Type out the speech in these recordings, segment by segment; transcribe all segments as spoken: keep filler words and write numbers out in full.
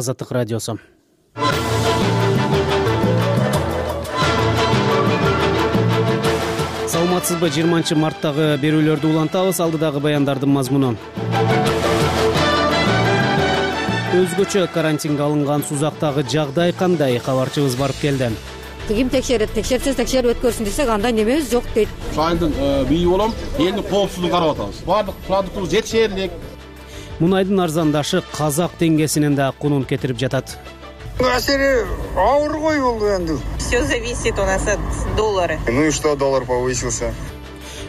Азаттык радиосу. Саламатсызбы? жыйырманчы марттагы берүүлөрдү улантабыз. Алдыдагы баяндардын мазмуну. Өзгөчө карантинге алынган Сузактагы жагдай кандай? Кабарчыбыз барып келди. Ким текшерет, текшерсе текшерип өткөрсүн десек, анда немебиз жок дейт. Айылдын бийи болом, элдин коопсуздугун карап атабыз. Баардык продуктубуз жетишерлик. Мунайдын арзандашы казак теңгесинин да кунун кетирип жатат. Асери ауыр ғой бул энди. Все зависит у нас от доллара. Ну и что, доллар повысился?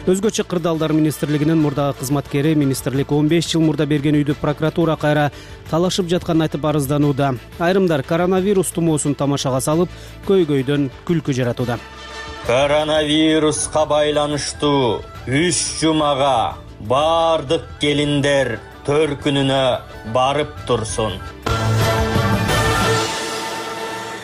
Өзгөчө кырдаалдар министрлигинин мурдагы кызматкери министрлик он беш жыл мурда берген үйдү прокуратура кайра талашып жатканын айтып арызданууда. Айрымдар коронавирус тумоосун тамашага салып, көйгөйдөн күлкү жаратууда. Коронавируска байланыштуу үч жумага бардык келиндер төркүнүнө барып турсун.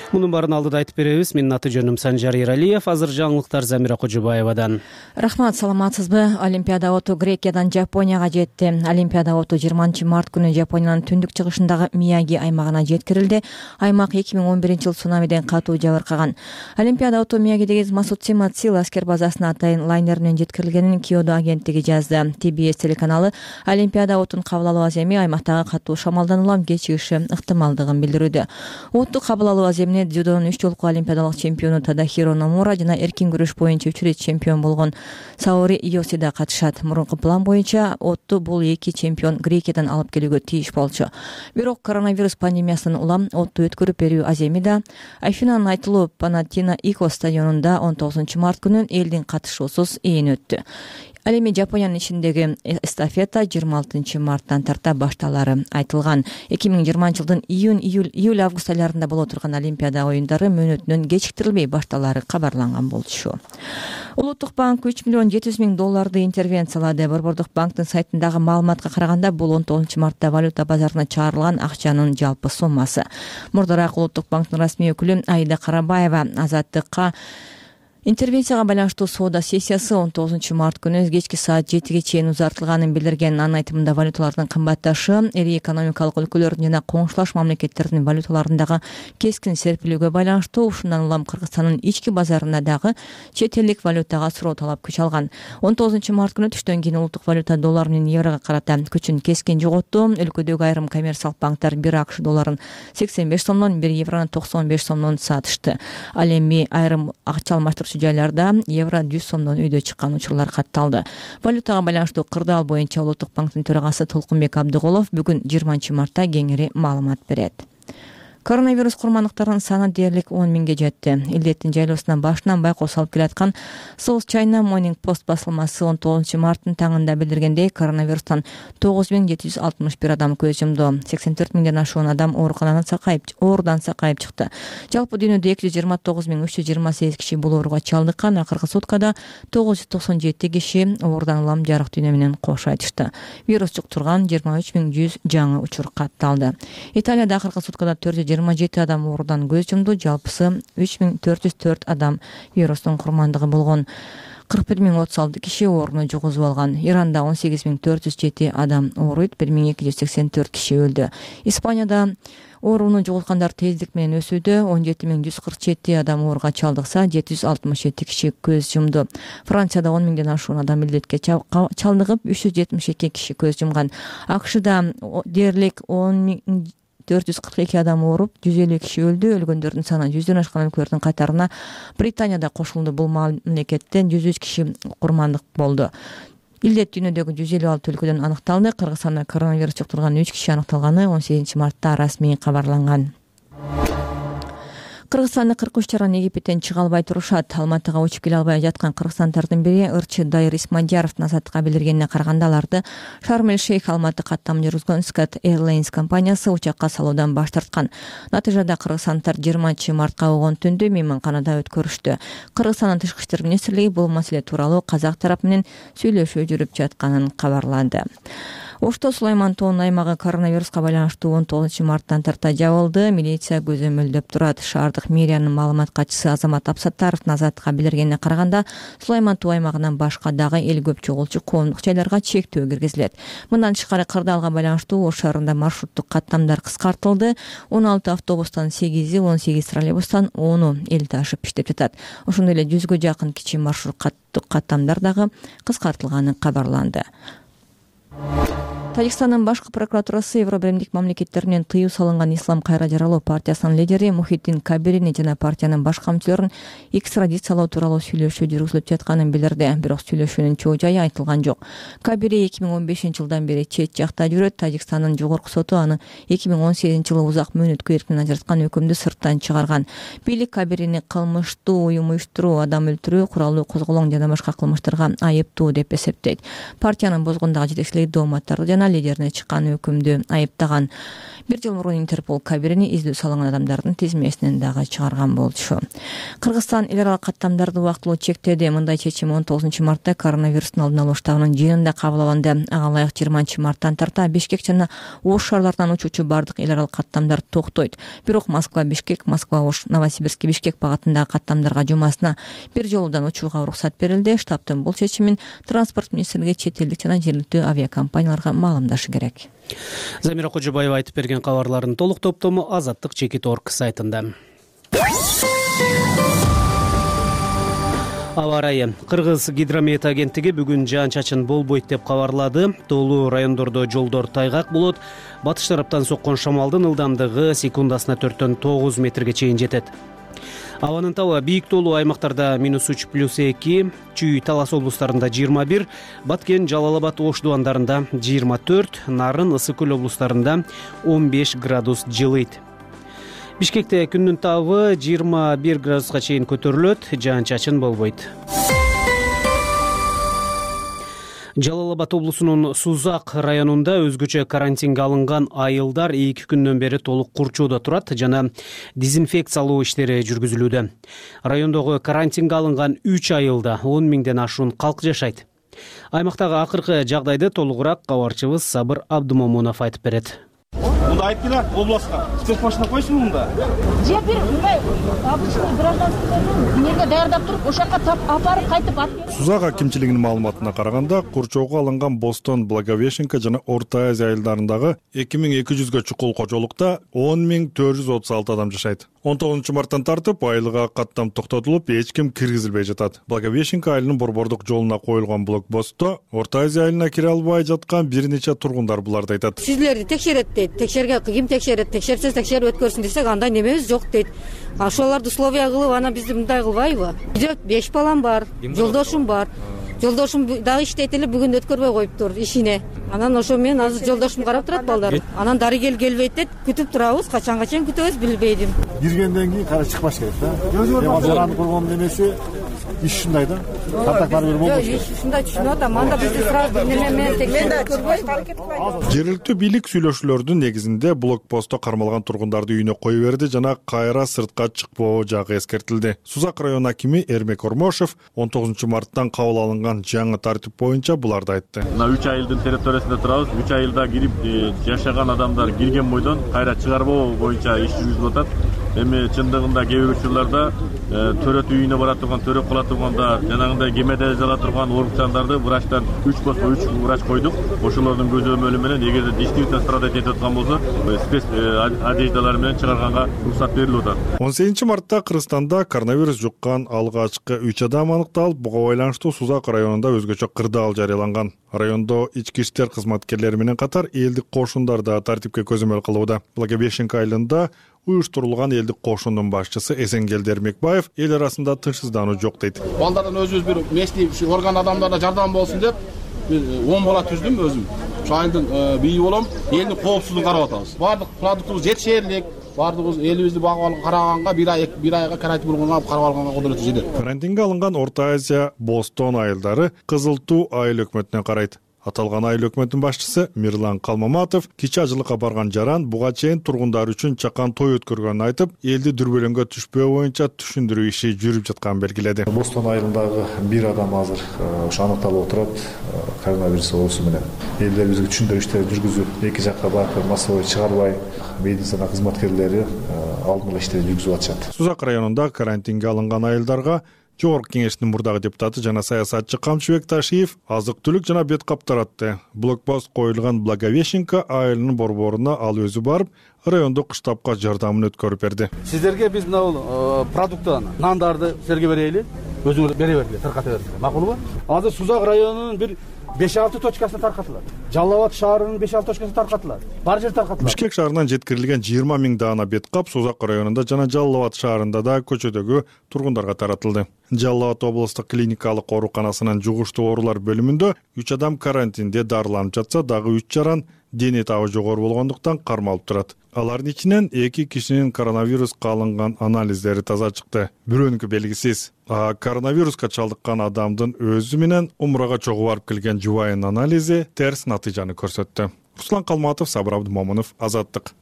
Мунун баарын алдыда айтып беребиз. Менин аты жөнүм Санжар Эралиев. Азыр жаңылыктар Замира Кожубаевадан. Рахмат, саламатсызбы? Олимпиада оту Грекиядан Жапонияга жетти. Олимпиада оту жыйырманчы март күнү Жапониянын түндүк чыгышындагы Мияги аймагына жеткирилди. Аймак эки миң он биринчи жыл цунамиден катуу жабыркаган. Олимпиада оту Миягидеги Масуцима Цил аскер базасына атайын лайнеринен жеткирилгенин Киодо агенттиги жазды. Ти Би Эс телеканалы Олимпиада отун кабыл алуу аземи аймактагы катуу шамалдан улам кечигиши ыктымалдыгын билдирүүдө. Отту кабыл алуу аземи дзюдонун үч жолку олимпиадалык чемпиону Тадахиро Номура жана эркин күрөш боюнча үч ирет чемпион болгон Саори Йосида катышат. Мурунку план боюнча отту бул эки чемпион Грекиядан алып келүүгө тийиш болчу. Бирок коронавирус пандемиясынан улам отту өткөрүп берүү аземи да Афинанын айтылуу Панатинаикос стадионунда он тогузунчу март күнү элдин катышуусуз ээн өттү. Ал эми Жапониянын ичиндеги эстафета жыйырма алтынчы марттан тарта башталары айтылган. эки миң жыйырманчы жылдын июнь, июль, июль август айларында боло турган Олимпиада оюндары мөөнөтүнөн кечиктирилбей башталары кабарланган болчу. Улуттук банк үч миллион жети жүз миң долларды интервенциялады. Борбордук банктын сайтындагы маалыматка караганда бул он тогузунчу мартта валюта базарына чыгарылган акчанын жалпы суммасы. Мурдараак Улуттук банктын расмий өкүлү Аида Карабаева Азаттыкка интервенцияга байланыштуу соода сессиясы он тогузунчу март күнү кечки саат жетиге чейин узартылганын билдирген. Анын айтымында валюталардын кымбатташы эри экономикалык өлкөлөрдүн жана коңшулаш мамлекеттердин валюталарындагы кескин серпилүүгө байланыштуу. Ушундан улам Кыргызстандын ички базарында дагы чет элдик валютага суроо талап күч алган. он тогузунчу март күнү түштөн кийин улуттук валюта доллар менен еврого карата күчүн кескин жоготту. Өлкөдөгү айрым коммерциялык банктар бир АКШ долларын сексен беш сомдон, бир еврону токсон беш сомдон сатышты. Ал эми айрым акча алмаштырчу жайларда евро жүз сомдон үйдө чыккан учурлар катталды. Валютага байланыштуу кырдаал боюнча Улуттук банктын төрагасы Толкунбек Абдыголов бүгүн жыйырманчы мартта кеңири маалымат берет. Коронавирус курмандыктарынын саны дээрлик он миңге жетти. Илдеттин жайлоосунан башынан байкоо салып келаткан South China Morning Post басылмасы он тогузунчу марттын таңында билдиргендей, коронавирустан тогуз миң жети жүз алтымыш бир адам көз жумду. сексен төрт миңден ашуун адам ооруканадан сакайып, оорудан сакайып чыкты. Жалпы дүйнөдө эки жүз жыйырма тогуз миң үч жүз жыйырма сегиз киши бул ооруга чалдыккан. Акыркы суткада тогуз жүз токсон жети киши оорудан улам жарык дүйнө менен кош айтышты. Вирус жуктурган жыйырма үч миң жүз жаңы учур катталды. Италияда акыркы суткада төрт жүз жыйырма жети адам оорудан көз жумду. Жалпысы үч миң төрт жүз төрт адам вирустун курмандыгы болгон. кырк бир миң отуз алты киши ооруну жугузуп алган. Иранда он сегиз миң төрт жүз жети адам ооруйт, бир миң эки жүз сексен төрт киши өлдү. Испанияда ооруну жугузгандар тездик менен өсүүдө. он жети миң жүз кырк жети адам ооруга чалдыкса, жети жүз алтымыш жети киши көз жумду. Францияда он миңден ашуун адам илдетке чалдыгып, үч жүз жетимиш эки киши көз жумган. АКШда дээрлик он миң төрт жүз кырк эки адам ооруп, жүз элүү киши өлдү. Өлгөндөрдүн саны жүздөн ашкан өлкөлөрдүн катарына Британияда кошулду. Бул мамлекеттен жүз үч киши курмандык болду. Илдет дүйнөдөгү жүз элүү алты өлкөдөн аныкталды. Кыргызстанда коронавирус жуктурган үч киши аныкталганы он сегизинчи мартта расмий кабарланган. Кыргызстанда кырк үч жаран Египеттен чыга албай турушат. Алматыга учуп келе албай жаткан кыргызстандардын бири ырчы Дайыр Исмадияровдун Азаттыкка билдиргенине караганда, аларды Шарм-эль-Шейх Алматы каттамын жүргүзгөн Sky Airlines компаниясы учакка салуудан баш тарткан. Натыйжада кыргызстандар жыйырманчы мартка болгон түндү мейманканада өткөрүштү. Кыргызстандын тышкы иштер министрлиги бул маселе тууралуу казак тарапы менен сүйлөшүү жүрүп жатканын кабарлады. Ошто Сулайман тоонун аймагы коронавируска байланыштуу он тогузунчу марттан тарта жабылды. Милиция көзөмөлдөп турат. Шаардык мэриянын маалымат катчысы Азамат Абсаттаровдун Азаттыкка билдиргенине караганда, Сулайман тоо аймагынан башка дагы эл көп чогулчу коомдук жайларга чектөө киргизилет. Мындан тышкары кырдаалга байланыштуу Ош шаарында маршруттук каттамдар кыскартылды. он алты автобустан сегизи, он сегиз троллейбустан ону эл ташып иштеп жатат. Ошондой эле жүзгө жакын кичи маршрут каттамдар дагы кыскартылганы кабарланды. Тажикстандын башкы прокуратурасы Евро биримдик мамлекеттеринен тыюу салынган Ислам кайра жаралоо партиясынын лидери Мухиддин Кабирини жана партиянын башка мүчөлөрүн экстрадициялоо тууралуу сүйлөшүү жүргүзүлүп жатканын билдирди. Бирок сүйлөшүүнүн чоо жайы айтылган жок. Кабири эки миң он бешинчи жылдан бери чет жакта жүрөт. Тажикстандын жогорку соту аны эки миң он сегизинчи жылы узак мөөнөткө эркинен ажыраткан өкүмдү сырттан чыгарган. Бийлик Кабирини кылмыштуу уюм уюштуруу, адам өлтүрүү, куралдуу козголоң жана башка кылмыштарга айыптуу деп эсептейт. Партиянын бозгондагы жетекчилиги дооматтарды жана лидерине чыккан өкүмдү айыптаган. Бир жыл мурун Интерпол Кабирини издөө салынган адамдардын тизмесинен дагы чыгарган болчу. Кыргызстан эл аралык каттамдарды убактылуу чектеди. Мындай чечим он тогузунчу мартта коронавирустун алдын алуу штабынын жыйынында кабыл алынды. Ага ылайык жыйырманчы марттан тарта Бишкек жана Ош шаарларынан учуучу бардык эл аралык каттамдар токтойт. Бирок Москва Бишкек, Москва Ош, Новосибирск Бишкек багытындагы каттамдарга жумасына бир жолудан учууга уруксат берилди. Штабтын бул чечимин транспорт министрлиги чет элдик жана жергиликтүү авиакомпанияларга маалымдашы керек. Замира Кожобаева айтып берген кабарлардын толук топтому Азаттык чекит точка орг сайтында. Аба ырайы. Кыргыз гидромет агенттиги бүгүн жаан-чачын болбойт деп кабарлады. Тоолуу райондордо жолдор тайгак болот. Батыш тараптан соккон шамалдын ылдамдыгы секундасына төрттөн тогуз метрге чейин жетет. Абанын табы бийик тоолуу аймактарда минус үч плюс эки, Чүй, Талас облустарында жыйырма бир, Баткен, Жалал Абад, Ош дубандарында жыйырма төрт, Нарын, Ысык көл облустарында он беш градус жылыйт. Бишкекте күндүн табы жыйырма бир градуска чейин көтөрүлөт, жаан-чачын болбойт. Жалал Абад облусунун Сузак районунда өзгөчө карантинге алынган айылдар эки күндөн бери толук курчоодо турат жана дезинфекциялоо иштери жүргүзүлүүдө. Райондогу карантинге алынган үч айылда он миңден ашуун калк жашайт. Аймактагы акыркы жагдайды толугураак кабарчыбыз Сабыр Абдумомунов айтып берет. Мында айтып келе областка. Спец машина койсун мында. Же бир мындай обычный гражданский эмнеге даярдап туруп, ошакка апарып кайтып атып. Сузак акимчилигинин маалыматына караганда, курчоого алынган Бостон, Благовещенка жана Орто Азия айылдарындагы эки миң эки жүзгө чукул кожолукта он миң төрт жүз отуз алты адам жашайт. он тогузунчу марттан тартып айылга каттам токтотулуп, эч ким киргизилбей жатат. Благовещенка айылынын борбордук жолуна коюлган блокпостто Орто Азия айылына кире албай жаткан бир нече тургундар буларды айтат. Сиздерди текшерет дейт. Текшерге ким текшерет? Текшерсе текшерип өткөрсүн десек, андай немебиз жок дейт. Ошолорду условия кылып, анан бизди мындай кылбайбы? Үйдө беш балам бар, жолдошум бар. Жолдошум дагы иштейт эле, бүгүн өткөрбөй коюптур ишине. Анан ошо менен азыр жолдошум карап турат балдар. Анан дарыгер келбейт дейт, күтүп турабыз, качанга чейин күтөбүз билбейдим. Киргенден кийин кара чыкпаш керек да. Жараны койгон эмеси иш ушундай да. Картактар бир болбош. Иш ушундай түшүнүп атам. Анда бизди сразу неме менен текшерип көрбөй. Жергиликтүү бийлик сүйлөшүүлөрдүн негизинде блокпостто кармалган тургундарды үйүнө кое берди жана кайра сыртка чыкпоо жагы эскертилди. Сузак район акими Эрмек Ормошев он тогузунчу марттан кабыл алынган жаңы тартип боюнча буларды айтты. Мына үч айылдын территориясында турабыз. үч айылда кирип жашаган адамдар кирген бойдон кайра чыгарбоо боюнча иш жүргүзүлүп атат. Эми чындыгында кээ бир учурларда төрөт үйүнө бара турган, төрөт кыла турганда жанагындай кемеде жала турган оорукчандарды врачтан үч болсо үч врач койдук. Ошолордун көзөмөлү менен эгерде действительно страдать этип аткан болсо, спец одеждалар менен чыгарганга уруксат берилип атат. он сегизинчи мартта Кыргызстанда коронавирус жуккан алгачкы үч адам аныкталып, буга байланыштуу Сузак районунда өзгөчө кырдаал жарыяланган. Райондо ички иштер кызматкерлери менен катар элдик кошундар да тартипке көзөмөл кылууда. Благовещенка айылында уюштурулган элдик кошундун башчысы Эсенгелди Эрмекбаев эл арасында тынчсыздануу жок дейт. Балдардан өзүбүз бир местный орган адамдарына жардам болсун деп он бала түздүм өзүм. Ошо айылдын бийи болом, элдин коопсуздугун карап атабыз. Бардык продуктубуз жетишерлик, бардыгыбыз элибизди багып караганга бир ай бир айга карантин болгонго карап алганга кудуреттүү жетет. Карантинге алынган Орто Азия, Бостон айылдары Кызыл Туу айыл өкмөтүнө карайт. Аталган айыл өкмөттүн башчысы Мирлан Калмаматов кичи ажылыкка барган жаран буга чейин тургундар үчүн чакан той өткөргөнүн айтып, элди дүрбөлөңгө түшпөө боюнча түшүндүрүү иши жүрүп жатканын белгиледи. Бостон айылындагы бир адам азыр ошо аныкталып отурат коронавирус оорусу менен. Элдерибизге түшүндүрүү иштери жүргүзүп, эки жакка барып массовый чыгарбай, медицина кызматкерлери алдын ала иштери жүргүзүп атышат. Сузак районунда карантинге алынган айылдарга Жогорку Кеңештин мурдагы депутаты жана саясатчы Камчыбек Ташиев азык-түлүк жана бет кап таратты. Блокпост коюлган Благовещенко айылынын борборуна ал өзү барып, райондук кыштапка жардамын өткөрүп берди. Сиздерге биз мына продукттан нандарды силерге берели, өзүңөр бере бергиле, тарката бергиле. Макулбу? Азыр Сузак районунун бир беш алты точкасына таркатылат. Жалал Абад шаарынын беш алты точкасына таркатылат. Бар жер таркатылат. Бишкек шаарынан жеткирилген жыйырма миң даана бет кап Сузак районунда жана Жалал Абад шаарында да көчөдөгү тургундарга таратылды. Жалал Абад облустук клиникалык ооруканасынын жугуштуу оорулар бөлүмүндө үч адам карантинде дарыланып жатса, дагы үч жаран дене табы жогору болгондуктан кармалып турат. Алардын ичинен эки кишинин коронавируска алынган анализдери таза чыкты. Бирөөнүкү белгисиз. А коронавируска чалдыккан адамдын өзү менен умрага чогуу барып келген жубайынын анализи терс натыйжаны көрсөттү. Руслан Калматов, Сабыр Абдымомунов, Азаттык.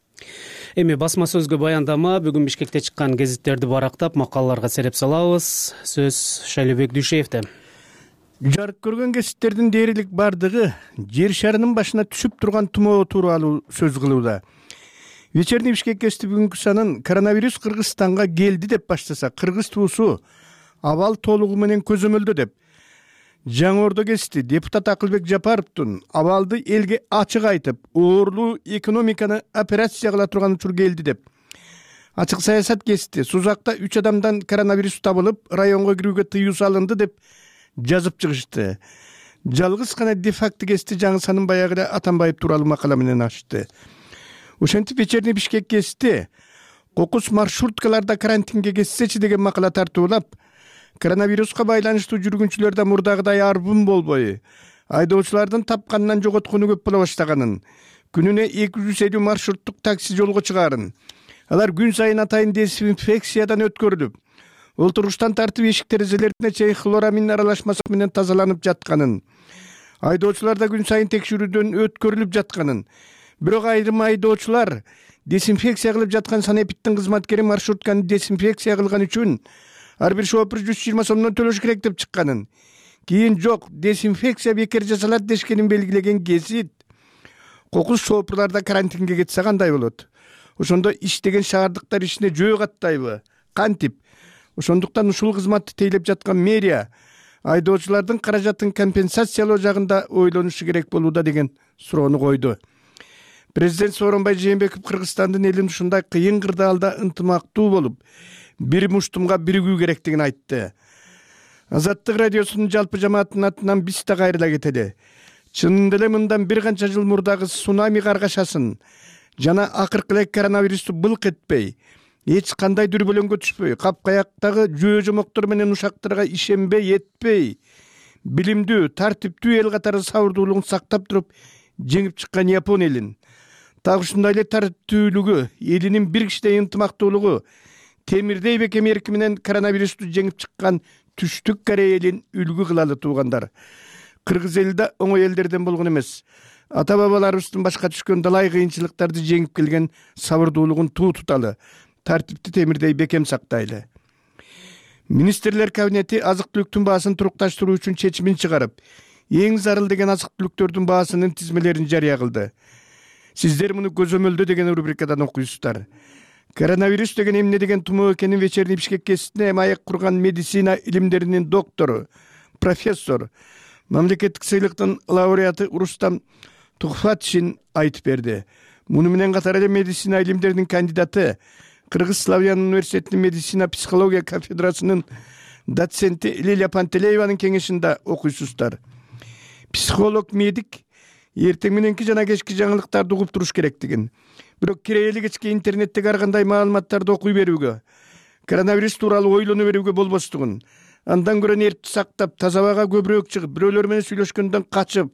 Эми басма сөзгө баяндама бүгүн Бишкекте чыккан гезиттерди барактап, макалаларга сереп салабыз. Сөз Шайлебек Дүйшеевде. Жарык көргөн гезиттердин дээрлик бардыгы жер шарынын башына түшүп турган тумоо тууралуу сөз кылууда. Вечерний Бишкек гезити бүгүнкү санын коронавирус Кыргызстанга келди деп баштаса, кыргыз туусу абал толугу менен көзөмөлдө деп. Жаңы Ордо гезити депутат Акылбек Жапаровдун абалды элге ачык айтып, оорлуу экономиканы операция кыла турган учур келди деп. Ачык саясат гезити Сузакта үч адамдан коронавирус табылып, районго кирүүгө тыюу салынды деп жазып чыгышты. Жалгыз гана де-факто гезити жаңы санын баягы Атамбаев тууралуу макала менен ачты. Ошентип Вечерний Бишкек гезити кокус маршруткаларда карантинге кетсечи деген макала тартуулап, коронавируска байланыштуу жүргүнчүлөрдө мурдагыдай арбын болбой, айдоочулардын тапканынан жоготкону көп боло баштаганын, күнүнө эки жүз элүү маршруттук такси жолго чыгаарын, алар күн сайын атайын дезинфекциядан өткөрүлүп, олтуруштан тартып эшик терезелерине чейин хлорамин аралашмасы менен тазаланып жатканын, айдоочулар да күн сайын текшерүүдөн өткөрүлүп жатканын, бирок айрым айдоочулар дезинфекция кылып жаткан санэпидтин кызматкери маршрутканы дезинфекция кылган үчүн ар бир шофер жүз жыйырма сомдон төлөш керек деп чыкканын, кийин жок, дезинфекция бекер жасалат дешкенин белгилеген гезит кокус шоферларда карантинге кетсе кандай болот? Ошондо иштеген шаардыктар ишине жөө каттайбы? Кантип? Ошондуктан ушул кызматты тейлеп жаткан мэрия айдоочулардын каражатын компенсациялоо жагында ойлонушу керек болууда деген суроону койду. Президент Сооронбай Жээнбеков Кыргызстандын элин ушундай кыйын кырдаалда ынтымактуу болуп, бир муштумга биригүү керектигин айтты. Азаттык радиосунун жалпы жамааттын атынан биз да кайрыла кетели. Чынында эле мындан бир канча жыл мурдагы цунами каргашасын жана акыркы эле коронавирусту былк этпей, эч кандай дүрбөлөңгө түшпөй, капкаяктагы жөө жомоктор менен ушактарга ишенбей этпей, билимдүү, тартиптүү эл катары сабырдуулугун сактап туруп жеңип чыккан Япон элин, так ушундай эле тартиптүүлүгү, элинин бир кичине ынтымактуулугу, темирдей бекем эрки менен коронавирусту жеңип чыккан Түштүк Корея элин үлгү кылалы туугандар. Кыргыз эли да оңой элдерден болгон эмес. Ата бабаларыбыздын башка түшкөн далай кыйынчылыктарды жеңип келген сабырдуулугун туу туталы, тартипти темирдей бекем сактайлы. Министрлер кабинети азык-түлүктүн баасын турукташтыруу үчүн чечимин чыгарып, эң зарыл деген азык-түлүктөрдүн баасынын тизмелерин жарыя кылды. Сиздер муну көзөмөлдө деген рубрикадан окуйсуздар. Коронавирус деген эмне деген тумоо экенин Вечерний Бишкек гезитине эми аяк курган медицина илимдеринин доктору, профессор, мамлекеттик сыйлыктын лауреаты Рустам Тухфатшин айтып берди. Муну менен катар эле медицина илимдеринин кандидаты, Кыргыз Славян университетинин медицина психология кафедрасынын доценти Лилия Пантелееванын кеңешинде окуйсуздар. Психолог, медик эртең мененки жана кечки жаңылыктарды угуп туруш керектигин, бирок кирейли кечки интернеттеги ар кандай маалыматтарды окуй берүүгө, коронавирус тууралуу ойлоно берүүгө болбостугун, андан көрө нервти сактап, таза абага көбүрөөк чыгып, бирөөлөр менен сүйлөшкөндөн качып,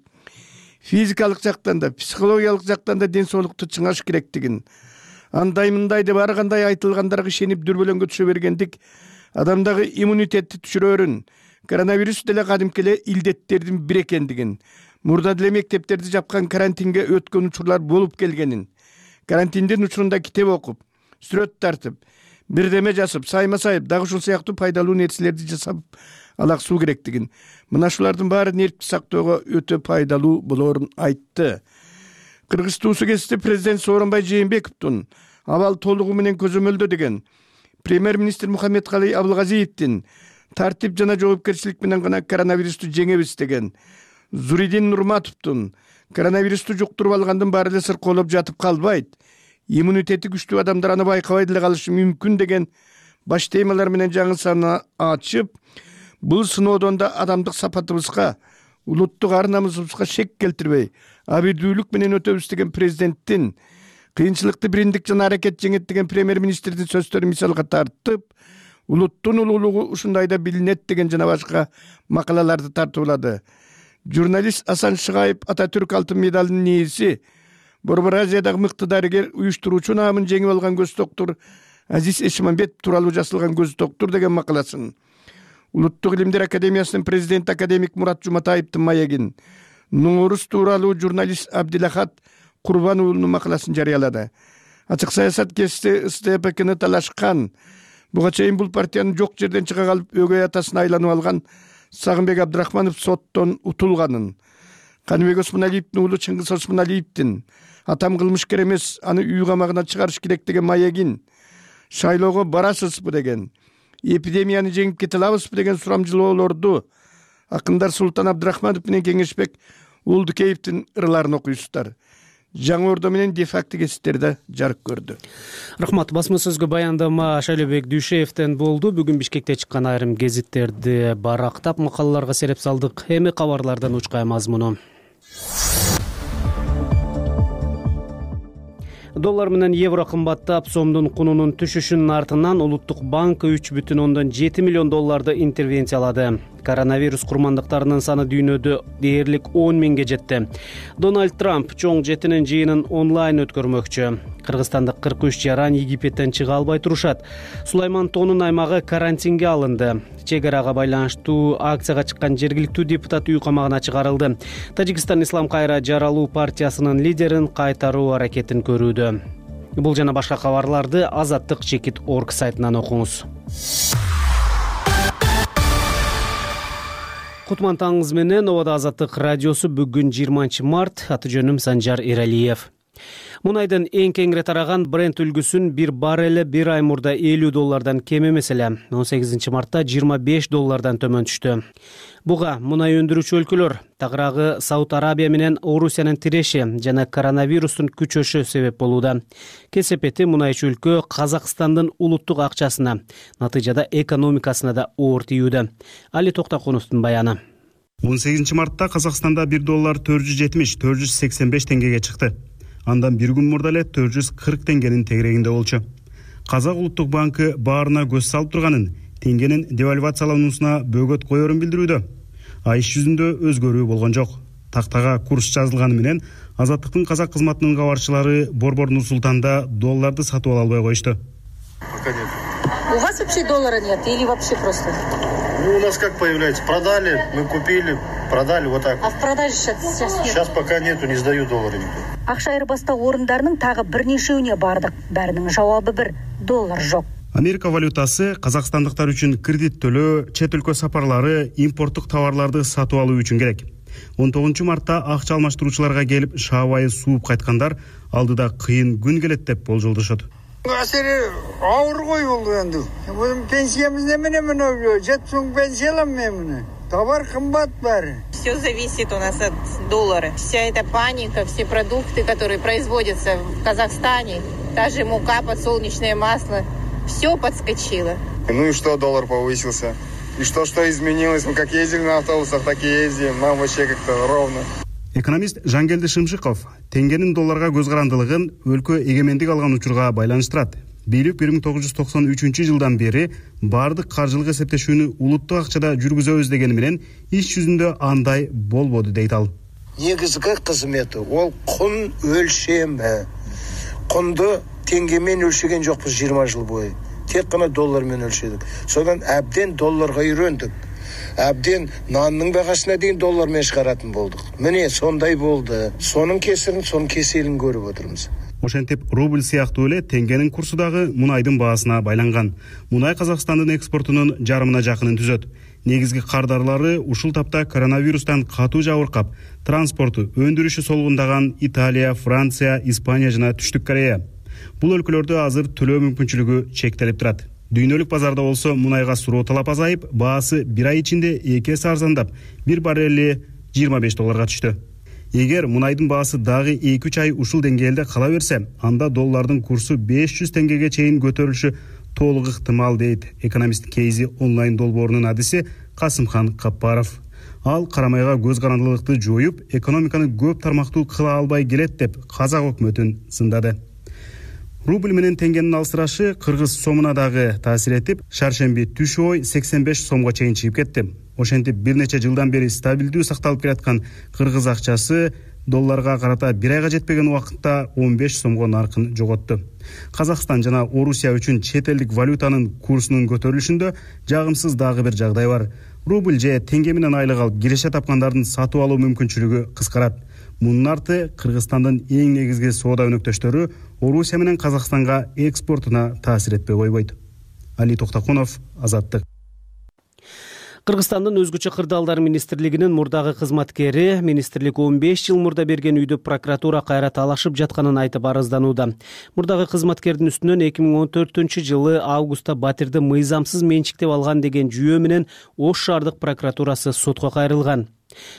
физикалык жактан да, психологиялык жактан да ден соолукту чыңаш керектигин, андай мындай деп ар кандай айтылгандарга ишенип дүрбөлөңгө түшө бергендик адамдагы иммунитетти түшүрөрүн, коронавирус деле кадимки эле илдеттердин бири экендигин, мурда деле мектептерди жапкан карантинге өткөн учурлар болуп келгенин, карантиндин учурунда китеп окуп, сүрөт тартып, бирдеме жазып, сайма сайып, дагы ушул сыяктуу пайдалуу нерселерди жасап алаксуу керектигин, мына шулардын баары нервти сактоого өтө пайдалуу болоорун айтты. Кыргыз туусу кезинде президент Сооронбай Жээнбековдун абал толугу менен көзөмөлдө деген премьер-министр Мухаммедкалый Абылгазиевдин тартип жана жоопкерчилик менен гана коронавирусту жеңебиз деген, Зуридин Нурматовдун коронавирусту жуктуруп алгандын баары эле сыркоолоп жатып калбайт, иммунитети күчтүү адамдар аны байкабай деле калышы мүмкүн деген баш темалар менен жаңы саны ачып, бул сыноодон да адамдык сапатыбызга, улуттук ар намысыбызга шек келтирбей, абийдүүлүк менен өтөбүз деген президенттин, кыйынчылыкты бириндик жана аракет жеңет деген премьер-министрдин сөздөрүн мисалга тартып, улуттун улуулугу ушундайда билинет деген жана башка макалаларды тартуулады. Журналист Асан Шыгаев Ататүрк алтын медалынын ээси, Борбор Азиядагы мыкты дарыгер, уюштуруучу наамын жеңип алган көз доктур Азиз Эшмамбетов тууралуу жазылган көз доктур деген макаласын, Улуттук илимдер академиясынын президенти академик Мурат Жуматаевдин маегин, Нуңорус тууралуу журналист Абдилахат Курбан уулунун макаласын жарыялады. Ачык саясат кести СТПКны талашкан, буга чейин бул партиянын жок жерден чыга калып өгөй атасына айланып алган Сагынбек Абдрахманов соттон утулганын, Каныбек Осмоналиевдин уулу Чыңгыз Осмоналиевдин атам кылмышкер эмес, аны үй камагына чыгарыш керек деген маегин, шайлоого барасызбы деген, эпидемияны жеңип кете алабызбы деген сурамжылоолорду акындар Султан Абдрахманов менен Кеңешбек Уулдукеевдин ырларын окуйсуздар. Жаңы Ордо менен дефакты кесиптерде жарык көрдү. Рахмат. Басма сөзгө баяндама Шайлообек Дүйшеевден болду. Бүгүн Бишкекте чыккан айрым гезиттерди барактап макалаларга сереп салдык. Эми кабарлардан учкай мазмуну. Доллар менен евро кымбаттап, сомдун кунунун түшүшүнүн артынан Улуттук банк үч бүтүн ондон жети миллион долларды интервенциялады. Коронавирус курмандыктарынын саны дүйнөдө дээрлик он миңге жетти. Дональд Трамп чоң жетинин жыйынын онлайн өткөрмөкчү. Кыргызстандык кырк үч жаран Египеттен чыга албай турушат. Сулайман Тоонун аймагы карантинге алынды. Чек арага байланыштуу акцияга чыккан жергиликтүү депутат үй камагына чыгарылды. Тажикстан Ислам кайра жаралуу партиясынын лидерин кайтаруу аракетин көрүүдө. Бул жана башка кабарларды азаттык чекит точка орг сайтынан окуңуз. Кутман таңыңыз менен, Обада Азаттык радиосу бүгүн жыйырманчы март, аты жөнүм Санжар Эралиев. Мунайдын эң кеңири тараган Brent үлгүсүн бир баррели бир ай мурда элүү доллардан кем эмес эле он сегизинчи мартта жыйырма беш доллардан төмөн түштү. Буга мунай өндүрүүчү өлкөлөр, тагыраагы Сауд Арабия менен Орусиянын тиреши жана коронавирустун күчөшү себеп болууда. Кесепети мунайчы өлкө Казакстандын улуттук акчасына, натыйжада экономикасына да оор тийүүдө. Али Токтокуновдун баяны. он сегизинчи мартта Казакстанда бир доллар төрт жүз жетимиш — төрт жүз сексен беш теңгеге чыкты. Андан бир күн мурда эле төрт жүз кырк теңгенин тегерегинде болчу. Казак улуттук банкы баарына көз салып турганын, теңгенин девальвациялануусуна бөгөт коерун билдирүүдө. А иш жүзүндө өзгөрүү болгон жок. Тактага курс жазылганы менен Азаттыктын казак кызматынын кабарчылары Борбор Нур-Султанда долларды сатып ала албай коюшту. У вас вообще доллара нет или вообще просто? Ну, у нас как появляется? Продали, мы купили, продали, вот так. А в продаже сейчас, сейчас нет? Сейчас пока нету, не сдаю доллары никто. Акча айырбастоо орундарынын тагы бир нешеуне бардык. Баарынын жабабы бир, доллар жок. Америка валютасы казакстандыктар үчүн кредит төлөө, чет өлкө сапарлары, импорттук товарларды сатып алуу үчүн керек. он тогузунчу мартта акча алмаштыруучуларга келип шаабайы сууп кайткандар алдыда кыйын күн келет деп болжолдошот. Асери ауыр ғой ол енді. Bizim пенсиямыз немене мына жетпіс мың пенсия аламын мен мына. Товар кымбат бәрі. Все зависит у нас от доллара. Вся эта паника, все продукты, которые производятся в Казахстане, та же мука, подсолнечное масло, все подскочило. Ну и что, доллар повысился? И что, что изменилось? Мы как ездили на автобусах, так и ездим. Нам вообще как-то ровно. Экономист Жангелди Шымшыков теңгенин долларга көз карандылыгын өлкө эгемендик алган учурга байланыштырат. Бийлик бир миң тогуз жүз токсон үчүнчү жылдан бери баардык каржылык эсептешүүнү улуттук акчада жүргүзөбүз дегени менен иш жүзүндө андай болбоду дейт ал. Негизги кызмети ол кун өлчөмү. Кунду теңге менен өлчөгөн жокпуз жыйырма жыл бою. Тек гана доллар менен өлчөдүк. Содан абден долларга үйрөндүк. Абден нанның бағасына дейін доллармен шығаратын болдық. Міне сондай болды. Соның кесірін, соның кеселін көріп отырмыз. Ошентип рубль сыяктуу эле теңгенин курсу дагы мунайдын баасына байланган. Мунай Казакстандын экспортунун жарымына жакынын түзөт. Негизги кардарлары ушул тапта коронавирустан катуу жабыркап, транспорту, өндүрүшү солгундаган Италия, Франция, Испания жана Түштүк Корея. Бул өлкөлөрдө азыр төлөө мүмкүнчүлүгү чектелип турат. Дүйнөлүк базарда болсо мунайга суроо талап азайып, баасы бир ай ичинде эки эсе арзандап, бир баррели жыйырма беш долларга түштү. Эгер мунайдын баасы дагы эки үч ай ушул деңгээлде кала берсе, анда доллардын курсу беш жүз теңгеге чейин көтөрүлүшү толук ыктымал дейт экономист Кейзи онлайн долбоорунун адиси Касымхан Каппаров. Ал карамайга көз карандылыкты жоюп, экономиканы көп тармактуу кыла албай келет деп казак өкмөтүн сындады. Рубль менен теңгенин алыстырашы кыргыз сомуна дагы таасир этип, шаршемби түш ой сексен беш сомго чейин чыгып кетти. Ошентип бир нече жылдан бери стабилдүү сакталып келаткан кыргыз акчасы долларга карата бир айга жетпеген убакытта он беш сомго наркын жоготту. Казакстан жана Орусия үчүн чет элдик валютанын курсунун көтөрүлүшүндө жагымсыз дагы бир жагдай бар. Рубль же теңге менен айлык алып киреше тапкандардын сатып алуу мүмкүнчүлүгү кыскарат. Мунун арты Кыргызстандын эң негизги соода өнөктөштөрү Орусия менен Казакстанга экспортуна таасир этпей койбойт. Али Токтокунов, Азаттык. Кыргызстандын өзгөчө кырдаалдар министрлигинин мурдагы кызматкери министрлик он беш жыл мурда берген үйдү прокуратура кайра талашып жатканын айтып арызданууда. Мурдагы кызматкердин үстүнөн эки миң он төртүнчү жылы августта батирди мыйзамсыз менчиктеп алган деген жүйө менен Ош шаардык прокуратурасы сотко кайрылган.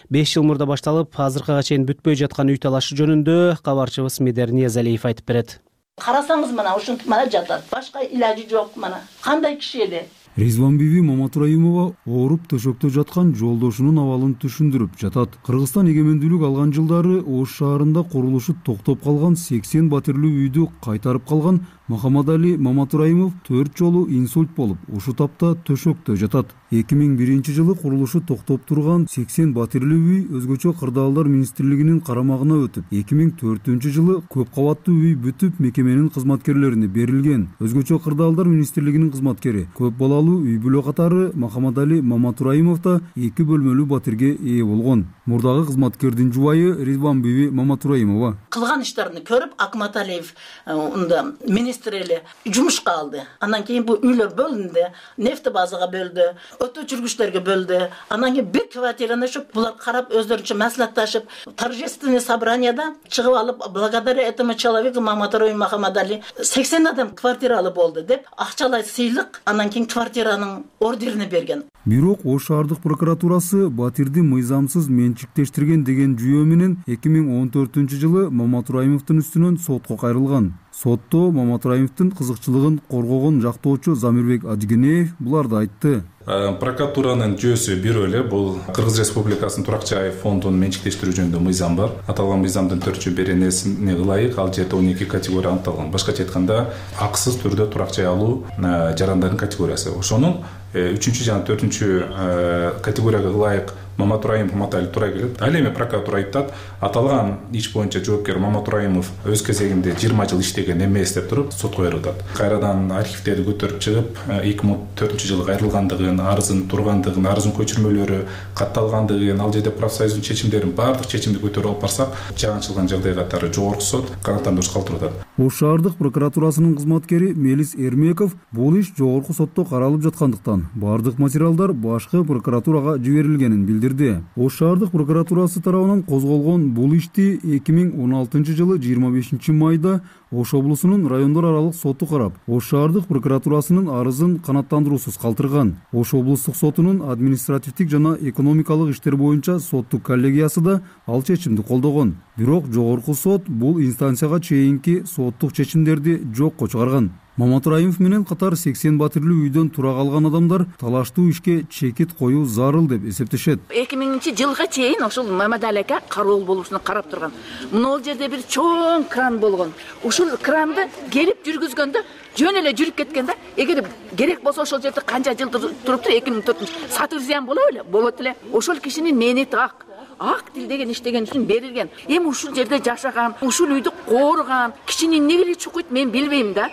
беш жыл мурда башталып, азыркыга чейин бүтпөй жаткан үй талашы жөнүндө кабарчыбыз Медер Ниязалиев айтып берет. Карасаңыз мына ушинтип мана жатат. Башка илажы жок мана. Кандай киши эле? Ризван биби Маматураимова ооруп төшөктө жаткан жолдошунун абалын түшүндүрүп жатат. Кыргызстан эгемендүүлүк алган жылдары Ош шаарында курулушу токтоп калган сексен батирлүү үйдү кайтарып калган Махамадали Маматураимов төрт жолу инсульт болуп, ушу тапта төшөктө жатат. эки миң биринчи жылы курулушу токтоп турган сексен батирлүү үй өзгөчө кырдаалдар министрлигинин карамагына өтүп, эки миң төртүнчү жылы көп кабаттуу үй бүтүп мекеменин кызматкерлерине берилген. Өзгөчө кырдаалдар министрлигинин кызматкери көп балалуу үй бүлө катары Махамадали Маматураимов да эки бөлмөлүү батирге ээ болгон. Мурдагы кызматкердин жубайы Ризван биби Маматураимова кылган иштерин көрүп, Акматалиев унда министр эле жумушка алды. Андан кийин бул үйлөр бөлүндү, нефтебазага бөлдү, өтө жүргүчтөргө бөлдү. Андан кийин бир квартираны ошо булар карап өздөрүнчө маслихатташып, торжественное собранияда чыгып алып, благодаря этому человеку Маматураимов Махамадали сексен адам квартира алып болду деп акчалай сыйлык, андан кийин квартиранын ордерин берген. Бирок Ош шаардык прокуратурасы батирди мыйзамсыз менчиктештирген деген жүйө менен эки миң он төртүнчү жылы Маматураимовдун үстүнөн сотко кайрылган. Сотто Маматураимовдун кызыкчылыгын коргогон жактоочу Замирбек Ажигенеев буларды айтты. Прокуратуранын жүйөсү бирөө эле, бул Кыргыз Республикасынын Турак жай фондун менчиктештирүү жөнүндө мыйзам бар. Аталган мыйзамдын төртүнчү беренесине ылайык ал жерде он эки категория аныкталган. Башкача айтканда, акысыз түрдө турак жай алуу жарандардын категориясы. Ошонун үчүнчү жана төртүнчү категорияга ылайык Маматураимов Маматали турай келет. Ал эми прокуратура айтат, аталган иш боюнча жоопкер Маматураимов өз кезегинде жыйырма жыл иштеген эмес деп туруп сотко кайрылат. Кайрадан архивтерди көтөрүп чыгып, эки миң он төртүнчү жылы кайрылгандыгын, арызын тургандыгын, арыздын көчүрмөлөрү катталгандыгын, ал жерде профсоюздун чечимдерин баардык чечимди көтөрүп алып барсак, жагынчылган жагдай катары жогорку сот канааттандырууш калтырып атат. Ош шаардык прокуратурасынын кызматкери Мелис Эрмеков бул иш жогорку сотто каралып жаткандыктан баардык материалдар башкы прокуратурага жиберилгенин билдирди. Ош шаардык прокуратурасы тарабынан козголгон бул ишти эки миң он алтынчы жылы жыйырма бешинчи майда Ош облусунун райондор аралык соту карап, Ош шаардык прокуратурасынын арызын канааттандыруусуз калтырган. Ош облустук сотунун административдик жана экономикалык иштер боюнча соттук коллегиясы да ал чечимди колдогон. Бирок жогорку сот бул инстанцияга чейинки соттук чечимдерди жокко чыгарган. Маматураимов менен катар сексен батирлүү үйдөн тура калган адамдар талаштуу ишке чекит коюу зарыл деп эсептешет. эки миңинчи жылга чейин ошол Маматали ака кароол болушуна карап турган. Мына ал жерде бир чоң кран болгон. Ушул кранды келип жүргүзгөндө жөн эле жүрүп кеткен да. Эгер керек болсо ошол жерде канча жыл туруптур, эки миң төртүнчү сатыр зыян боло эле, болот эле. Ошол кишинин мээнети ак. Ак тил деген иштеген үчүн берилген. Эми ушул жерде жашаган, ушул үйдү кооруган кишини эмне келип чукуйт мен билбейм да.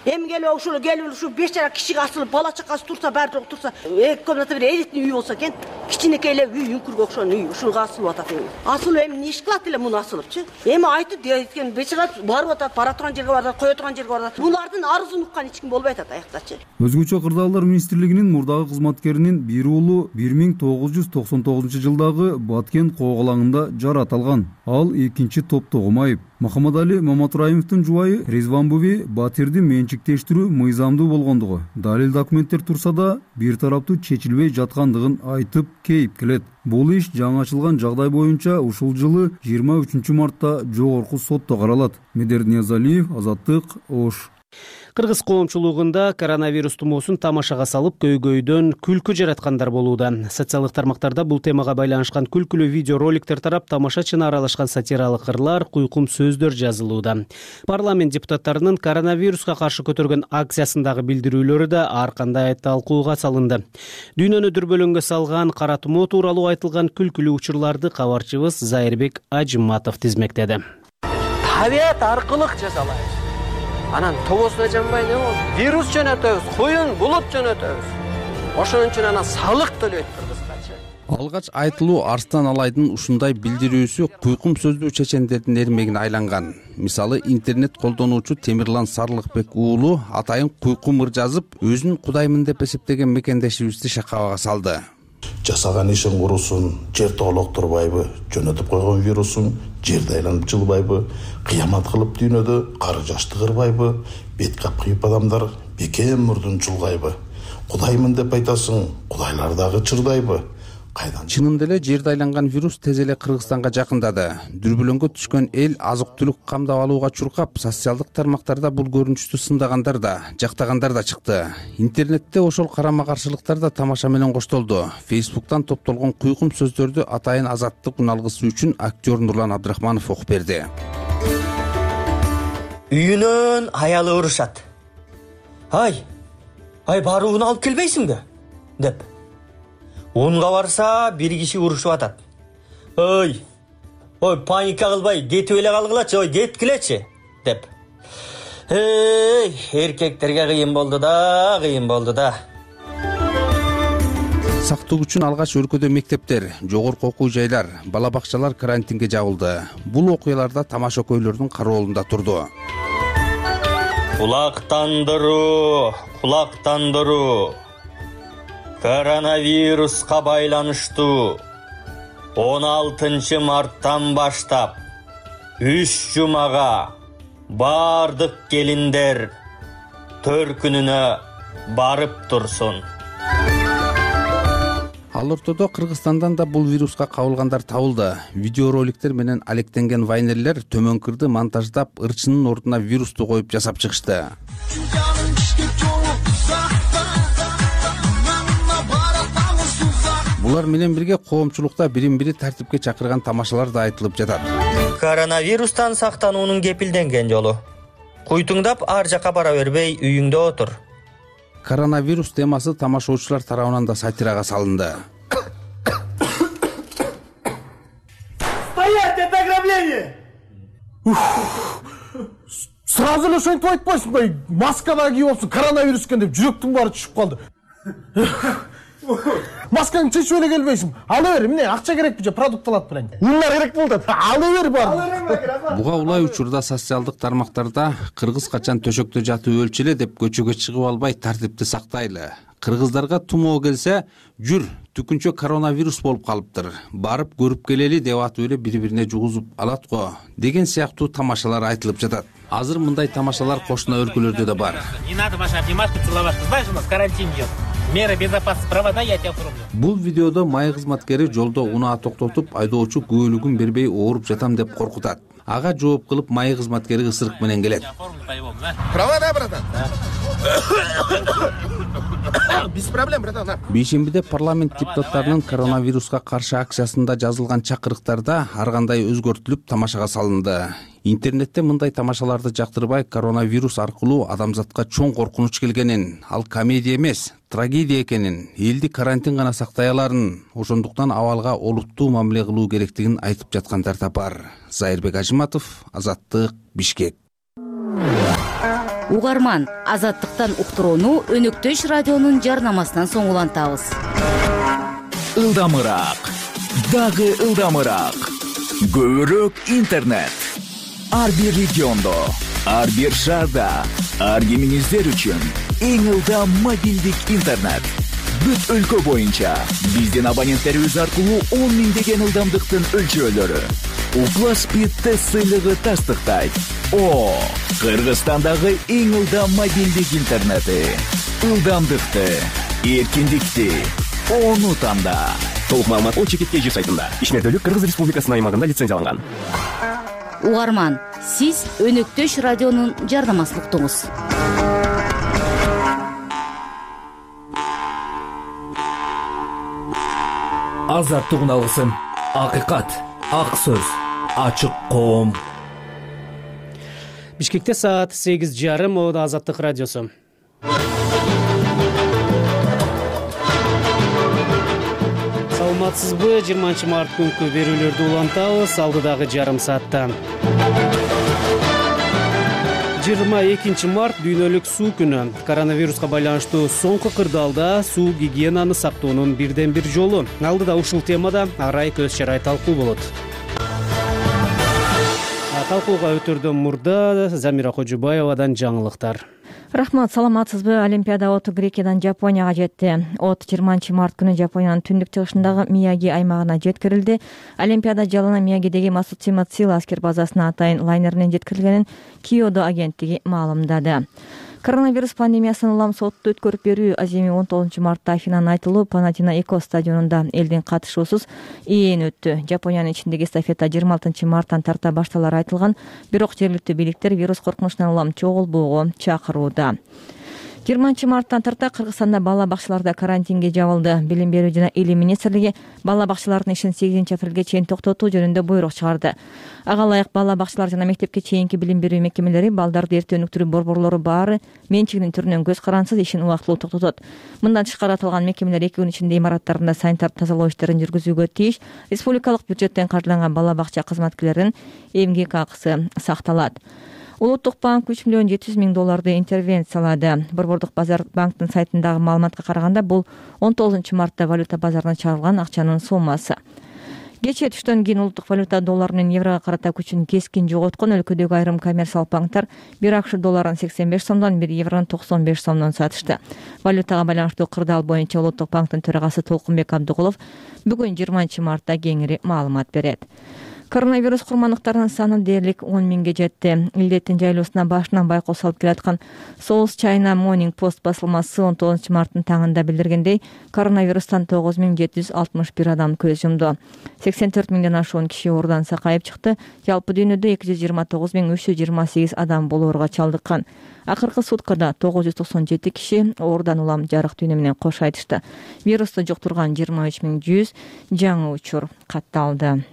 эми келип ушул келип ушу бечара кишиге асылып бала чакасы турса баары жок турса эки комната бир элитный үй болсо экен кичинекей эле үй үңкүргө окшогон үй ушуга асылып атат эми асылып эми эмне иш кылат эле муну асылыпчы эми айтып дейт бечара барып атат бара турган жерге барат кое турган жерге барат булардын арызын уккан эч ким болбой атат аяктачы. Өзгөчө кырдаалдар министрлигинин мурдагы кызматкеринин бир уулу бир миң тогуз жүз токсон тогузунчу жылдагы Баткен коогалаңында жаратылган. Ал экинчи топтогу майып. Махамадали Маматураимовдун жубайы Резван Буви Батирди менчиктештирүү мыйзамдуу болгондугу, далил документтер турса да бир тараптуу чечилбей жаткандыгын айтып кейип келет. Бул иш жаңы ачылган жагдай боюнча ушул жылы жыйырма үчүнчү мартта жогорку сотто каралат. Медер Ниязалиев, Азаттык, Ош. Кыргыз коомчулугунда коронавирус тумоосун тамашага салып көйгөйдөн күлкү жараткандар болууда. Социалдык тармактарда бул темага байланышкан күлкүлүү видео роликтер тарап, тамашачыны аралашкан сатиралык ырлар, куйкум сөздөр жазылууда. Парламент депутаттарынын коронавируска каршы көтөргөн акциясындагы билдирүүлөрү да ар кандай талкууга салынды. Дүйнөнү дүрбөлөңгө салган кара тумоо тууралуу айтылган күлкүлүү учурларды кабарчыбыз Зайырбек Ажыматов тизмектеди. Табият аркылык жасалайбыз. Анан тобосуна жанбай не болду? Вирус жөнөтөбүз, куюн булут жөнөтөбүз. Ошон үчүн анан салык төлөйт кыргызча. Алгач айтылуу Арстан Алайдын ушундай билдирүүсү куйкум сөздүү чечендердин эрмегине айланган. Мисалы, интернет колдонуучу Темирлан Сарлыкбек уулу атайын куйкум ыр жазып, өзүн кудаймын деп эсептеген мекендешибизди шакабага салды. Жасаган ишин курусун, жер тоолоктурбайбы, жөнөтүп койгон вирусун жерде айланып жылбайбы, кыямат кылып дүйнөдө кары жашты кырбайбы, бет капкыйып адамдар бекем мурдун чулгайбы, кудаймын деп айтасың, кудайлар дагы чырдайбы. Чынында эле жерде айланган вирус тез эле Кыргызстанга жакындады. Дүрбөлөңгө түшкөн эл азык-түлүк камдап алууга чуркап, социалдык тармактарда бул көрүнүштү сындагандар да, жактагандар да чыкты. Интернетте ошол карама-каршылыктар да тамаша менен коштолду. Фейсбуктан топтолгон куйкум сөздөрдү атайын Азаттык уналгысы үчүн актер Нурлан Абдрахманов окуп берди. Үйүнөн аялы урушат. Ай, ай барууну алып келбейсиңби? деп. Унга барса бир киши урушуп атат. Ой, ой паника кылбай, кетип эле калгылачы, ой кеткилечи деп. Эй, эркектерге кыйын болду да, кыйын болду да. Сактык үчүн алгач өлкөдө мектептер, жогорку окуу жайлар, бала бакчалар карантинге жабылды. Бул окуяларда тамаша көйлөрдүн кароолунда турду. Кулактандыруу, кулактандыруу. Коронавируска байланыштуу он алтынчы марттан баштап үч жумага бардык келиндер төркүнүнө барып турсун. Ал ортодо Кыргызстандан да бул вируска кабылгандар табылды. Видеороликтер менен алектенген вайнерлер төмөнкүрдү монтаждап, ырчынын ордуна вирусту коюп жасап чыгышты. Булар менен бирге коомчулукта бирин-бири тартипке чакырган тамашалар да айтылып жатат. Коронавирустан сактануунун кепилденген жолу. Куйтуңдап ар жака бара бербей үйүңдө отур. Коронавирус темасы тамашаучулар тарабынан да сатирага салынды. Стоять, это ограбление! Сразу эле ошентип айтпайсыңбы? Маскада кийип алыпсың, коронавирус экен деп жүрөктүн баары түшүп калды. Маскаңды чечип эле келбейсиң. Ала бер, эмне акча керекпи же продукт алат белең. Ундар керек болду. Ала бер бар. Буга улай учурда социалдык тармактарда кыргыз качан төшөктө жатып өлчүлө деп көчөгө чыгып албай тартипти сактайлы. Кыргыздарга тумоо келсе, жүр, түкүнчө коронавирус болуп калыптыр. Барып көрүп келели деп атып эле бири-бирине жугузуп алат го деген сыяктуу тамашалар айтылып жатат. Азыр мындай тамашалар кошуна өлкөлөрдө да бар. Не надо Маша обнимашку целовать. Знаешь, у нас карантин идет. Мера безопасности провода я тебя оформлю. Бул видеодо май кызматкери жолдо унаа токтотуп, айдоочу күбөлүгүн бербей ооруп жатам деп коркутат. Ага жооп кылып май кызматкери ысырык менен келет. Провода, братан. Без проблем, братан. Бейшембиде парламент депутаттарынын коронавируска каршы акциясында жазылган чакырыктарда ар кандай өзгөртүлүп тамашага салынды. Интернетте мындай тамашаларды жактырбай, коронавирус аркылуу адамзатка чоң коркунуч келгенин, ал комедия эмес, трагедия экенин, элди карантин гана сактай аларын, ошондуктан абалга олуттуу мамиле кылуу керектигин айтып жаткандар да бар. Зайырбек Ажыматов, Азаттык, Бишкек. Угарман, Азаттыктан уктурууну Өнөктөш радионун жарнамасынан соң улантабыз. Ылдамыраак, дагы ылдамыраак. Көбүрөөк интернет. Ар бир региондо, ар бир шаарда, ар кимиңиздер үчүн эң ылдам мобилдик интернет. Бүт өлкө боюнча биздин абоненттерибиз аркылуу он миңдеген ылдамдыктын өлчөөлөрү. Уклас Speed тест сыйлыгы тастыктайт. О, Кыргызстандагы эң ылдам мобилдик интернети. Ылдамдыкты, эркиндикти, ону танда. Толук маалымат о чекит кей жи сайтында. Ишмердүүлүк Кыргыз Республикасынын аймагында лицензияланган. Угарман, сиз Өнөктөш радионун жарнамасын уктуңуз. Азаттыгын алгысың. Акыйкат, ак сөз, ачык коом. Бишкекте саат сегиз жарым, ода Азаттык радиосу. Саламатсызбы? жыйырманчы март күнкү берүүлөрдү улантабыз. Алдыдагы жарым саатта. жыйырма экинчи март дүйнөлүк суу күнү. Коронавируска байланыштуу соңку кырдаалда суу гигиенаны сактоонун бирден бир жолу. Алдыда ушул темада арай көз чарай талкуу болот. Талкууга өтөрдөн мурда Замира Кожубаевадан жаңылыктар. Рахмат, саламатсызбы? Олимпиада оту Грекиядан Жапонияга жетти. От жыйырманчы март күнү Жапониянын түндүк чыгышындагы Мияги аймагына жеткирилди. Олимпиада жалына Миягидеги Масуцима Цила аскер базасына атайын лайнеринен жеткирилгенин Киодо агенттиги маалымдады. Коронавирус пандемиясын улам сотто өткөрүп берүү аземи он тогузунчу мартта Афинанын айтылуу Панатинаико стадионунда элдин катышуусуз ээн өттү. Жапониянын ичиндеги эстафета жыйырма алтынчы марттан тарта башталары айтылган, бирок жергиликтүү бийликтер вирус коркунучунан улам чогулбоого чакырууда. жыйырманчы марттан тарта Кыргызстанда бала бакчаларда карантинге жабылды. Билим берүү жана илим министрлиги бала бакчалардын ишин сегизинчи апрелге чейин токтотуу жөнүндө буйрук чыгарды. Ага ылайык бала бакчалар жана мектепке чейинки билим берүү мекемелери балдарды эртең өнүктүрүү борборлору баары менчигинин түрүнөн көз карансыз ишин убактылуу токтотот. Мындан тышкары аталган мекемелер эки күн ичинде имараттарында санитардык тазалоо иштерин жүргүзүүгө тийиш. Республикалык бюджеттен каржыланган бала бакча кызматкерлеринин эмгек акысы сакталат. Улуттук банк үч миллион жети жүз миң долларды интервенциялады. Борбордук базар банктын сайтындагы маалыматка караганда бул он тогузунчу мартта валюта базарына чыгарылган акчанын суммасы. Кечээ түштөн кийин улуттук валюта доллар менен еврого карата күчүн кескин жоготкон өлкөдөгү айрым коммерциялык банктар бир акш долларын сексен беш сомдон, бир еврону токсон беш сомдон сатышты. Валютага байланыштуу кырдаал боюнча улуттук банктын төрагасы Толкунбек Абдыгулов бүгүн жыйырманчы мартта кеңири маалымат берет. Коронавирус курмандыктарынын саны дээрлик он миңге жетти. Илдеттин жайлоосуна башынан байкоо салып келаткан South China Morning Post басылмасы он тогузунчу марттын таңында билдиргендей, коронавирустан тогуз миң жети жүз алтымыш бир адам көз жумду. сексен төрт миңден ашуун киши оорудан сакайып чыкты. Жалпы дүйнөдө эки жүз жыйырма тогуз миң үч жүз жыйырма сегиз адам бул ооруга чалдыккан. Акыркы суткада тогуз жүз токсон жети киши оорудан улам жарык дүйнө менен кош айтышты. Вирусту жуктурган жыйырма үч миң жүз жаңы учур катталды.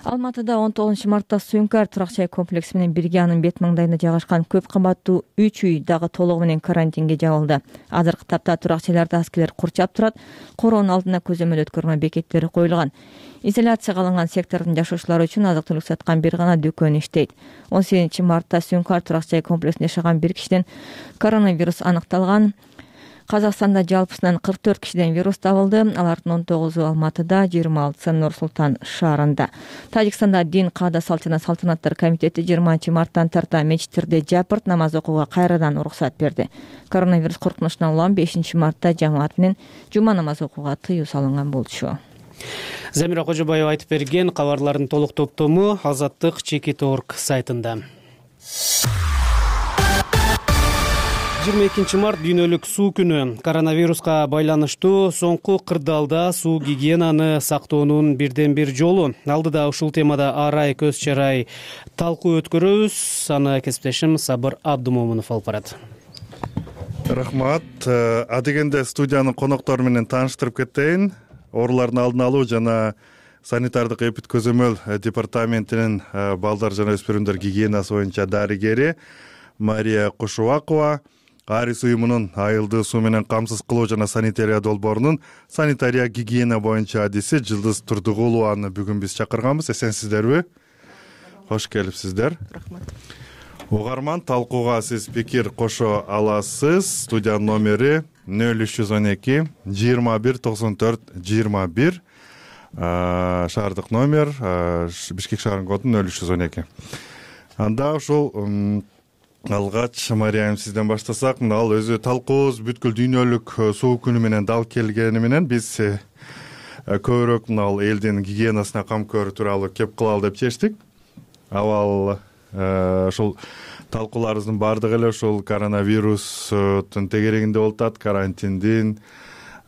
Алматыда он тогузунчу мартта Сүйүнкар турак жай комплекси менен бирге анын бет маңдайында жайгашкан көп кабаттуу үч үй дагы толугу менен карантинге жабылды. Азыркы тапта турак жайларды аскерлер курчап турат, короонун алдына көзөмөл өткөрмө бекеттери коюлган. Изоляцияга алынган сектордун жашоочулары үчүн азык-түлүк саткан бир гана дүкөн иштейт. он сегизинчи мартта Сүйүнкар турак жай комплексинде жашаган бир кишиден коронавирус аныкталган. Казакстанда жалпысынан кырк төрт кишиден вирус табылды. Алардын он тогузу Алматыда, жыйырма алтысы Нур Султан шаарында. Тажикстанда Дин каада салт жана салтанаттар комитети жыйырманчы марттан тарта мечиттерде жапырт намаз окууга кайрадан уруксат берди. Коронавирус коркунучунан улам бешинчи мартта жамаат менен жума намаз окууга тыюу салынган болчу. Замира Кожубаева айтып берген кабарлардын толук топтому Азаттык чекит точка орг сайтында. жыйырма экинчи март дүйнөлүк суу күнү. Коронавируска байланыштуу соңку кырдаалда суу гигиенаны сактоонун бирден бир жолу. Алдыда ушул темада арай көз чарай талкуу өткөрөбүз. Аны кесиптешим Сабыр Абдумомунов алып барат. Рахмат. Адегенде студиянын коноктору менен тааныштырып кетейин. Оорулардын алдын алуу жана санитардык эпид көзөмөл департаментинин балдар жана өспүрүмдөр гигиенасы боюнча дарыгери Мария Кушубакова, Арис уюмунун айылдуу суу менен камсыз кылуу жана санитария долбоорунун санитария гигиена боюнча адиси Жылдыз Турдугулованы бүгүн биз чакырганбыз. Эсенсиздерби? Кош келипсиздер. Рахмат. угарман, талкууга сиз пикир кошо аласыз. Студиянын номери нөл үч жүз он эки жыйырма бир токсон төрт жыйырма бир, шаардык номер, Бишкек шаарынын коду нөл үч жүз он эки. Анда ушул алгач Мариям сизден баштасак, мына ал өзү талкуубуз бүткүл дүйнөлүк суук күнү менен дал келгени менен биз көбүрөөк мына ал элдин гигиенасына кам көрүү тууралуу кеп кылалы деп чечтик. Абал ушул талкууларыбыздын баардыгы эле ушул коронавирустун тегерегинде болуп атат, карантиндин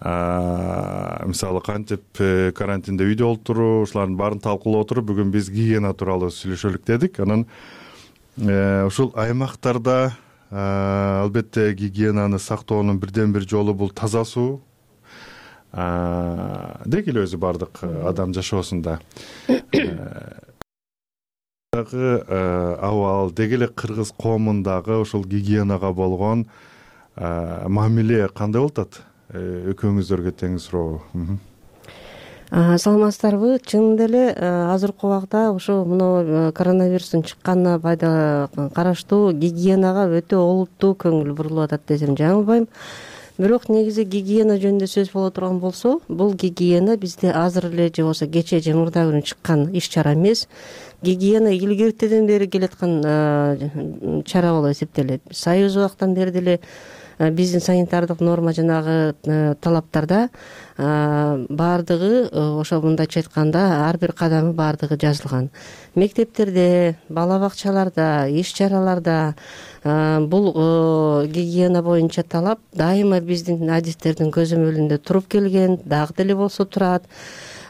мисалы кантип карантинде үйдө отуруу, ушулардын баарын талкуулап отуруп бүгүн биз гигиена тууралуу сүйлөшөлүк дедик. Анан ушул аймактарда албетте гигиенаны сактоонун бирден бир жолу бул таза суу. Деги эле өзү баардык адам жашоосунда дагы абал, деги эле кыргыз коомундагы ушул гигиенага болгон мамиле кандай болуп атат? Экөөңүздөргө тең суроо. Саламатсыздарбы? Чынында эле азыркы убакта ошо мына коронавирустун чыкканына пайда караштуу гигиенага өтө олуттуу көңүл бурулуп атат десем жаңылбайм. Бирок негизи гигиена жөнүндө сөз боло турган болсо, бул гигиена бизде азыр эле же болбосо кече же мурда күнү чыккан иш чара эмес. Гигиена илгертеден бери келаткан чара болуп эсептелет. Союз убактан бери деле биздин санитардык норма жанагы талаптарда баардыгы ошо мындайча айтканда ар бир кадамы баардыгы жазылган. Мектептерде, бала бакчаларда, иш чараларда бул гигиена боюнча талап дайыма биздин адистердин көзөмөлүндө туруп келген, дагы деле болсо турат.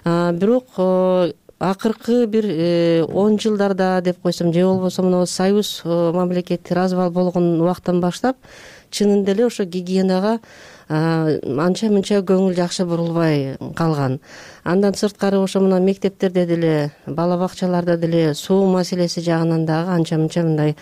Бирок акыркы бир он жылдарда деп койсом, же болбосо мына союз мамлекети развал болгон убактан баштап чынында эле ошо гигиенага анча мынча көңүл жакшы бурулбай калган. Андан сырткары ошо мына мектептерде деле, бала бакчаларда деле суу маселеси жагынан дагы анча мынча мындай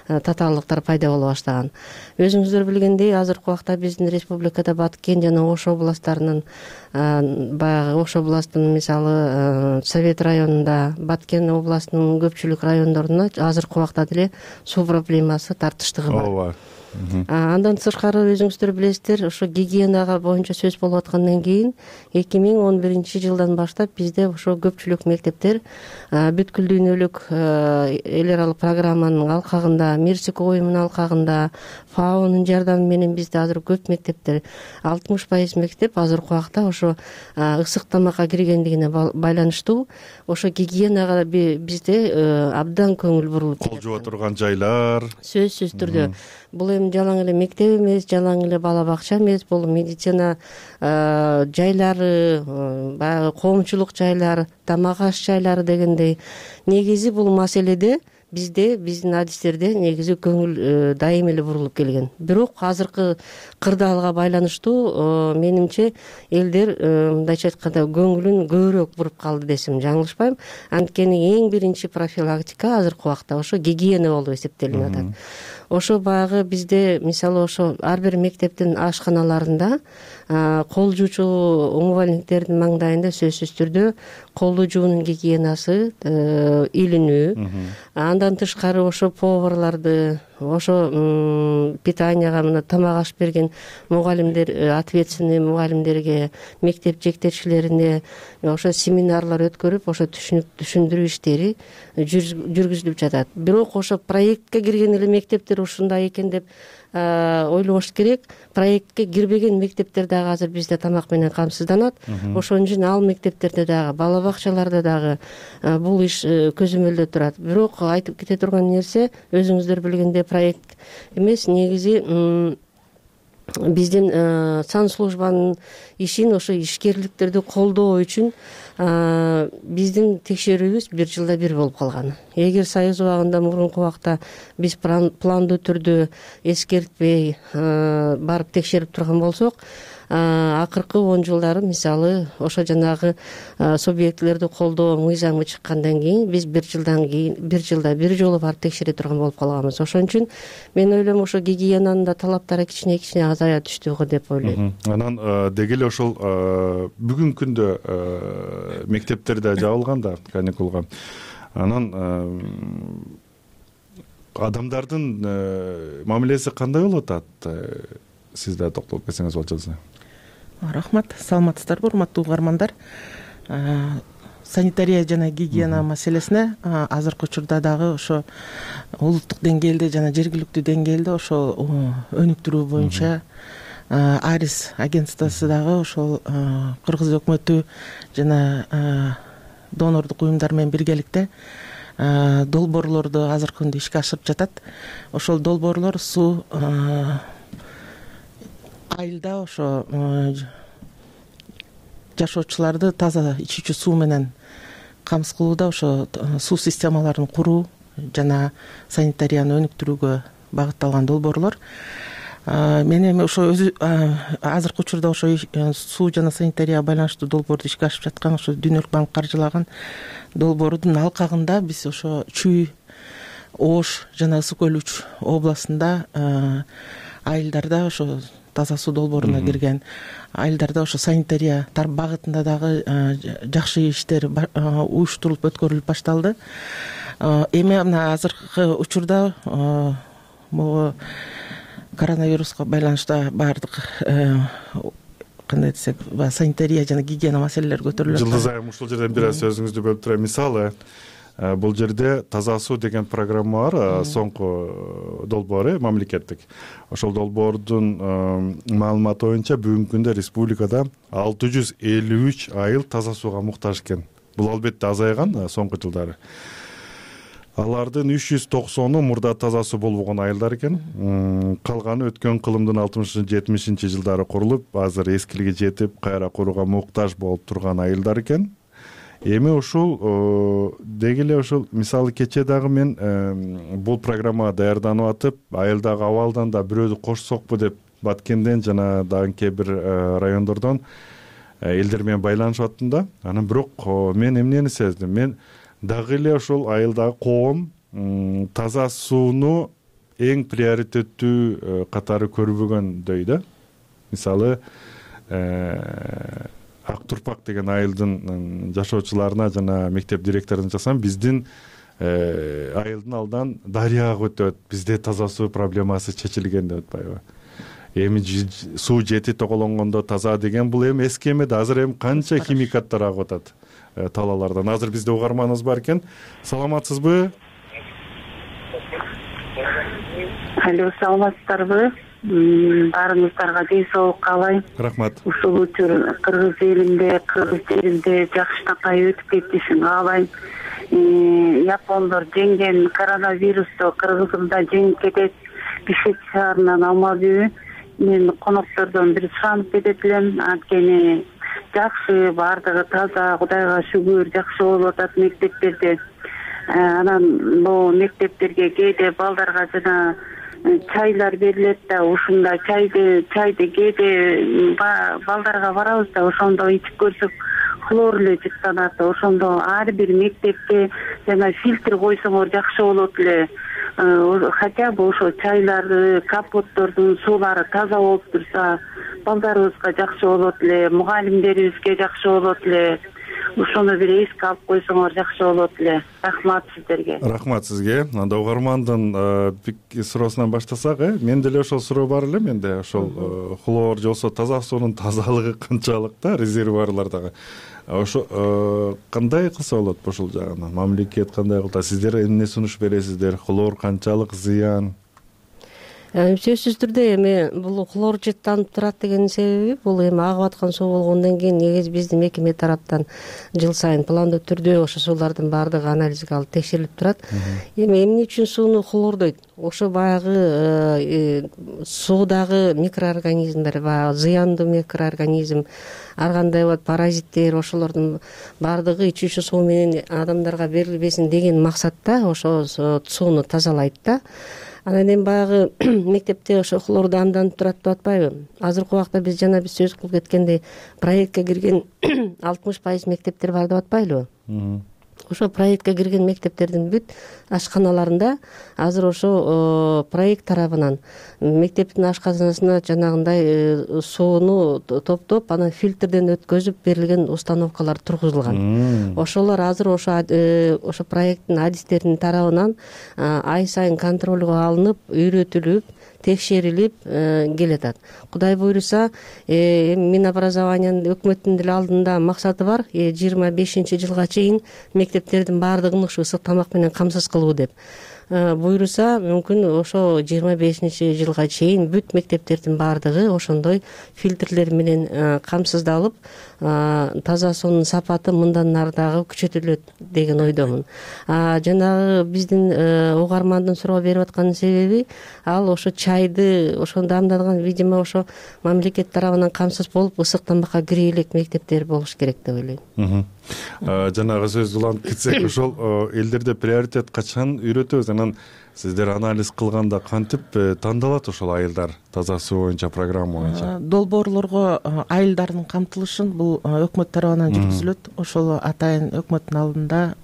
татаалдыктар пайда боло баштаган. Өзүңүздөр билгендей, азыркы убакта биздин республикада Баткен жана Ош областтарынын баягы Ош областынын мисалы Совет районунда, Баткен областынын көпчүлүк райондоруна азыркы убакта деле суу проблемасы тартыштыгы бар. Ооба. Андан сырткары өзүңүздөр билесиздер, ошо гигиенага боюнча сөз болуп аткандан кийин эки миң он биринчи жылдан баштап бизде ошо көпчүлүк мектептер бүткүл дүйнөлүк эл аралык программанын алкагында, Мирсик уюмунун алкагында, ФАОнун жардамы менен бизде азыр көп мектептер, алтымыш пайыз мектеп азыркы убакта ошо ысык тамакка киргендигине байланыштуу ошо гигиенага бизде абдан көңүл бурулуп кол жууа турган жайлар. Сөзсүз түрдө бул эми жалаң эле мектеп эмес, жалаң эле бала бакча эмес, бул медицина жайлары, баягы коомчулук жайлар, тамак аш жайлары дегендей. Негизи бул маселеде бизде, биздин адистерде негизи көңүл дайым эле бурулуп келген. Бирок азыркы кырдаалга байланыштуу менимче элдер мындайча айтканда көңүлүн көбүрөөк буруп калды десем жаңылышпайм. Анткени эң биринчи профилактика азыркы убакта ошо гигиена болуп эсептелип атат. Ошо баягы бизде мисалы ошо ар бир мектептин ашканаларында кол жуучу умывальниктердин маңдайында сөзсүз түрдө колду жуунун гигиенасы илинүү. Андан тышкары ошо поварларды, ошо питанияга мына тамак аш берген мугалимдер, ответственный мугалимдерге, мектеп жетекчилерине ошо семинарлар өткөрүп, ошо түшүндүрүү иштери жүргүзүлүп жатат. Бирок ошо проектке кирген эле мектептер ушундай экен деп ойлобош керек. Проектке кирбеген мектептер дагы азыр бизде тамак менен камсызданат. Ошон үчүн ал мектептерде дагы, бала бакчаларда дагы бул иш көзөмөлдө турат. Бирок айтып кете турган нерсе, өзүңүздөр билгендей проект эмес, негизи биздин санслужбанын ишин, ошо ишкерликтерди колдоо үчүн биздин текшерүүбүз бир жылда бир болуп калган. Эгер союз убагында мурунку убакта биз пландуу түрдө эскертпей барып текшерип турган болсок, акыркы он жылдары мисалы ошо жанагы субъектилерди колдоо мыйзамы чыккандан кийин биз бир жылдан кийин бир жылда бир жолу барып текшере турган болуп калганбыз. Ошон үчүн мен ойлойм ошо гигиенанын да талаптары кичине кичине азая түштү го деп ойлойм. Анан деги эле ошол бүгүнкү күндө мектептерде жабылган да каникулга. Анан адамдардын мамилеси кандай болуп атат, сиз да токтолуп кетсеңиз болчу. Рахмат, саламатсыздарбы урматтуу угармандар. Санитария жана гигиена маселесине азыркы учурда дагы ошо улуттук деңгээлде жана жергиликтүү деңгээлде ошо өнүктүрүү боюнча Арис агентствосу дагы ошол Кыргыз өкмөтү жана донордук уюмдар менен биргеликте долбоорлорду азыркы күндө ишке ашырып жатат. Ошол долбоорлор суу айылда ошо жашоочуларды таза ичүүчү суу менен камсыз кылууда ошо суу системаларын куруу жана санитарияны өнүктүрүүгө багытталган долбоорлор. Мен эми ошо өзү азыркы учурда ошо суу жана санитарияга байланыштуу долбоорду ишке ашырып жаткан ошо Дүйнөлүк банк каржылаган долбоордун алкагында биз ошо Чүй, Ош жана Ысык көл үч областында айылдарда ошо таза суу долбооруна кирген айылдарда ошо санитария багытында дагы жакшы иштер уюштурулуп өткөрүлүп башталды. Эми мына азыркы учурда могу коронавируска байланыштуу баардык кандай десек санитария жана гигиена маселелери көтөрүлүп атат. Жылдыз айым ушул жерден бир аз сөзүңүздү бөлүп турайын. Мисалы, бул жерде таза суу деген программа бар, соңку долбоор мамлекеттик. Ошол долбоордун маалыматы боюнча бүгүнкү күндө республикада алты жүз элүү үч айыл таза сууга муктаж экен. Бул албетте азайган соңку жылдары. Алардын үч жүз токсону мурда таза суу болбогон айылдар экен. Калганы өткөн кылымдын алтымышынчы жетимишинчи жылдары курулуп, азыр эскилиги жетип, кайра курууга муктаж болуп турган айылдар экен. Эми ушул деги эле ушул мисалы кечээ дагы мен бул программага даярданып атып, айылдагы абалдан да бирөөдү кошсокпу деп Баткенден жана дагы кээ бир райондордон элдер менен байланышып аттым да. Анан бирок мен эмнени сездим? Мен дагы эле ошол айылдагы коом таза сууну эң приоритеттүү катары көрбөгөндөй да. Мисалы, Ак Турпак деген айылдын жашоочуларына жана мектеп директоруна жазсам, биздин айылдын алдан дарыяга өтөт, бизде таза суу проблемасы чечилген деп атпайбы. Эми суу жети тоголонгондо таза деген бул эми эски эмеде, азыр эми канча химикаттар агып атат талаалардан. Азыр бизде угарманыбыз бар экен. Саламатсызбы? Алло, саламатсыздарбы? Баарыңыздарга ден соолук каалайм. Рахмат. Ушул учур Кыргыз элинде, Кыргыз жеринде жакшынакай өтүп кетишин каалайм. Япондор жеңген коронавирусту Кыргызымда жеңип кетет. Бишкек шаарынан алмадыбы? Мен коноктордон бир суранып кетет элем. Анткени жакшы, баардыгы таза, Кудайга шүгүр, жакшы болуп атат мектептерде. Анан бул мектептерге кээде балдарга жана чайлар берилет да, ушунда чайды чайды кээде балдарга барабыз да, ошондо ичип көрсөк хлор эле жыттанат. Ошондо ар бир мектепке жана фильтр койсоңор жакшы болот эле. Хотя бы ошо чайларды, капоттордун суулары таза болуп турса, балдарыбызга жакшы болот эле, мугалимдерибизге жакшы болот эле. Ошону бир эске алып койсоңор жакшы болот эле. Рахмат сиздерге. Рахмат сизге. Анда угармандын суроосунан баштасак, э, менде эле ошол суроо бар эле. Менде ошол хлор же болбосо таза суунун тазалыгы канчалык да, резервуарлардагы. Ошо кандай кылса болот ушул жагынан? Мамлекет кандай кылса, сиздер эмне сунуш бересиздер? Хлор канчалык зыян? Сөзсүз түрдө эми бул хлор жыттанып турат деген себеби бул эми агып аткан суу болгондон кийин негизи биздин мекеме тараптан жыл сайын пландуу түрдө ошо суулардын баардыгы анализге алып текшерилип турат. Эми эмне үчүн сууну хлордойт? Ошо баягы суудагы микроорганизмдер, баягы зыяндуу микроорганизм, ар кандай болот паразиттер, ошолордун баардыгы ичүүчү суу менен адамдарга берилбесин деген максатта ошо сууну тазалайт да. Анан эми баягы мектепте ошо хлорду амданып турат деп атпайбы? Азыркы убакта биз жана биз сөз кылып кеткендей проектке кирген алтымыш пайыз мектептер бар деп атпайлыбы? ошо проектке кирген мектептердин бүт ашканаларында азыр ошо проект тарабынан мектептин ашканасына жанагындай сууну топтоп анан фильтрден өткөзүп берилген установкалар тургузулган. Ошолор азыр ошо ошо проекттин адистеринин тарабынан ай сайын контролго алынып, үйрөтүлүп, текшерилип келатат. Кудай буйруса, эми Минобразованиянын өкмөттүн деле алдында максаты бар, жыйырма бешинчи жылга чейин мектептердин баардыгын ушу ысык тамак менен камсыз кылуу деп. Буйруса, мүмкүн ошо жыйырма бешинчи жылга чейин бүт мектептердин баардыгы ошондой фильтрлер менен камсыздалып, таза суунун сапаты мындан ары дагы күчөтүлөт деген ойдомун. Жанагы биздин угармандын суроо берип аткан себеби ал ошо чайды ошону дамдалган, видимо, ошо мамлекет тарабынан камсыз болуп ысык тамакка кире элек мектептер болуш керек деп ойлойм. Жанагы сөз уланып кетсек, ошол элдерде приоритет качан үйрөтөбүз? Анан сиздер анализ кылганда кантип тандалат ошол айылдар таза суу боюнча, программа боюнча? Долбоорлорго айылдардын камтылышын бул өкмөт тарабынан жүргүзүлөт. Ошол атайын өкмөттүн алдында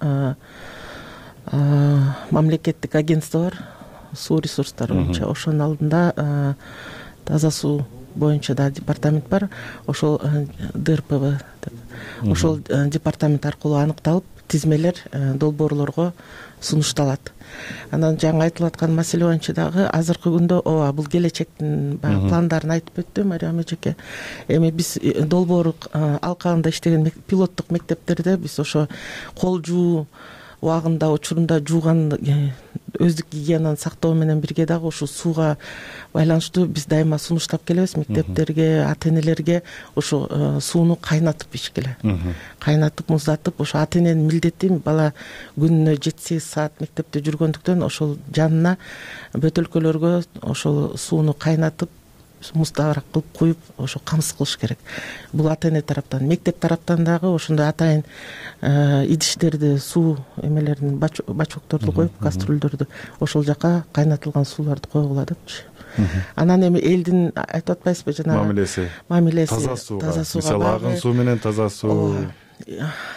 мамлекеттик агентство бар, суу ресурстары боюнча. Ошонун алдында таза суу боюнча да департамент бар. Ошол ди эр пэ вэ деп. Ошол департамент аркылуу аныкталып, тизмелер долбоорлорго сунушталат. Анан жаңы айтылып аткан маселе боюнча дагы азыркы күндө ооба бул келечектин баягы пландарын айтып өттү Мариям эжеке. Эми биз долбоор алкагында иштеген пилоттук мектептерде биз ошо кол жуу убагында, учурунда жууган өздүк гигиенаны сактоо менен бирге дагы ушул сууга байланыштуу биз дайыма сунуштап келебиз мектептерге, ата-энелерге ошо сууну кайнатып ичкиле. Кайнатып, муздатып, ошо ата-эненин милдети бала күнүнө жети сегиз саат мектепте жүргөндүктөн ошол жанына бөтөлкөлөргө ошол сууну кайнатып, муздабыраак кылып куюп, ошо камсыз кылыш керек. Бул ата-эне тараптан, мектеп тараптан дагы ошондой атайын идиштерди, суу эмелерин, бачокторду коюп, кастрюльдөрдү ошол жака кайнатылган сууларды койгула депчи. Анан эми элдин айтып атпайсызбы жанагы мамилеси, мамилеси таза сууга, мисалы агын суу менен таза суу,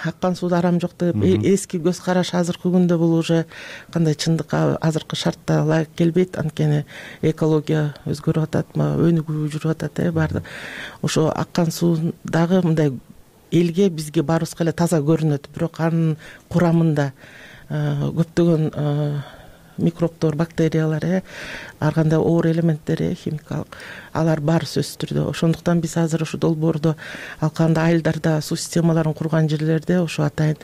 аккан сууда арам жок деп эски көз караш азыркы күндө бул уже кандай чындыкка азыркы шартта ылайык келбейт. Анткени экология өзгөрүп атат, өнүгүү жүрүп атат, э баардык. Ошо аккан суу дагы мындай элге, бизге баарыбызга эле таза көрүнөт, бирок анын курамында көптөгөн микробтор, бактериялар, э ар кандай оор элементтер, химикалык, алар бар сөзсүз түрдө. Ошондуктан биз азыр ошо долбоордо алкагында айылдарда суу системаларын курган жерлерде ошо атайын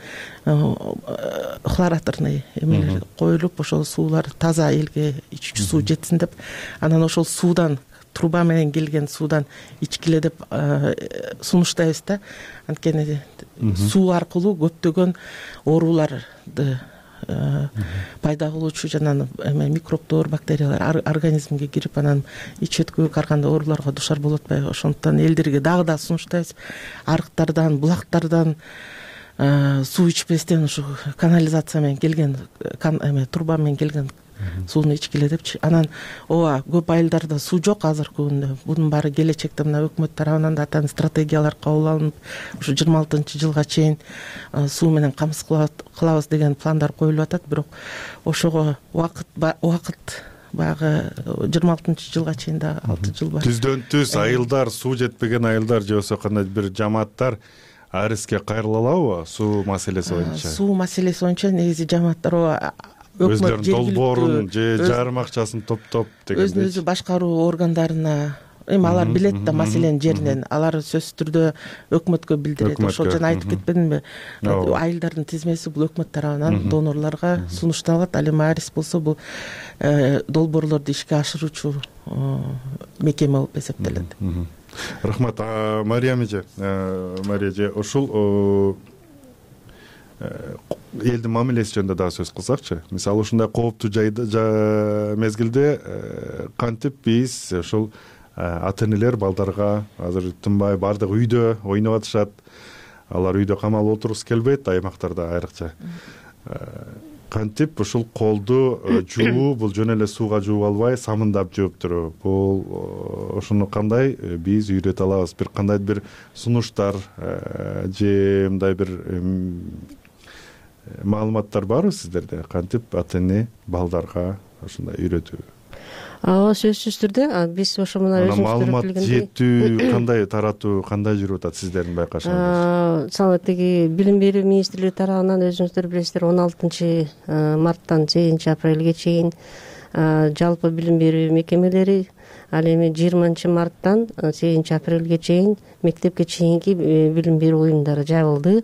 хлораторный эмелер коюлуп, ошол суулар таза элге ичүүчү суу жетсин деп, анан ошол суудан, труба менен келген суудан ичкиле деп сунуштайбыз да. Анткени суу аркылуу көптөгөн ооруларды пайда кылуучу жана микробтор, бактериялар организмге кирип, анан ич өткүлүк ар кандай ооруларга душар болуп атпайбы. Ошондуктан элдерге дагы да сунуштайбыз, арыктардан, булактардан суу ичпестен ушу канализация менен келген, труба менен келген сууну ичкиле депчи. Анан ооба көп айылдарда суу жок азыркы күндө. Бунун баары келечекте мына өкмөт тарабынан да атайын стратегиялар кабыл алынып, ушу жыйырма алтынчы жылга чейин суу менен камсыз кылабыз деген пландар коюлуп атат. Бирок ошого убакыт убакыт баягы жыйырма алтынчы жылга чейин да алты жыл бар. Түздөн түз айылдар, суу жетпеген айылдар же болбосо кандай бир жамааттар ариске кайрыла алабы суу маселеси боюнча? Суу маселеси боюнча негизи жамааттар ооба өздөрүнүн долбоорун же жарым акчасын топтоп деген өзүн өзү башкаруу органдарына, эми алар билет да маселенин жеринен, алар сөзсүз түрдө өкмөткө билдирет. Ошол жана айтып кетпедимби, айылдардын тизмеси бул өкмөт тарабынан донорлорго сунушталат. Ал эми арис болсо бул долбоорлорду ишке ашыруучу мекеме болуп эсептелет. Рахмат. Мариям эже, Мария эже, ушул элдин мамилеси жөнүндө дагы сөз кылсакчы. Мисалы ушундай кооптуу мезгилде кантип биз ушул ата-энелер балдарга азыр тынбай баардык үйдө ойноп атышат. Алар үйдө камалып отургусу келбейт, аймактарда айрыкча. Кантип ушул колду жуу, бул жөн эле сууга жууп албай, самындап жууп туруп, бул ошону кандай биз үйрөтө алабыз? Бир кандай бир сунуштар же мындай бир маалыматтар барбы сиздерде, кантип ата эне балдарга ушундай үйрөтүү? Ооба, сөзсүз түрдө биз ошо мына өзүңүздөр маалымат билгендей жетүү кандай таратуу кандай жүрүп атат сиздердин байкашыңызда? Мисалы тиги билим берүү министрлиги тарабынан өзүңүздөр билесиздер он алтынчы марттан сегизинчи апрелге чейин жалпы билим берүү мекемелери, ал эми жыйырманчы марттан сегизинчи апрелге чейин мектепке чейинки билим берүү уюмдары жабылды.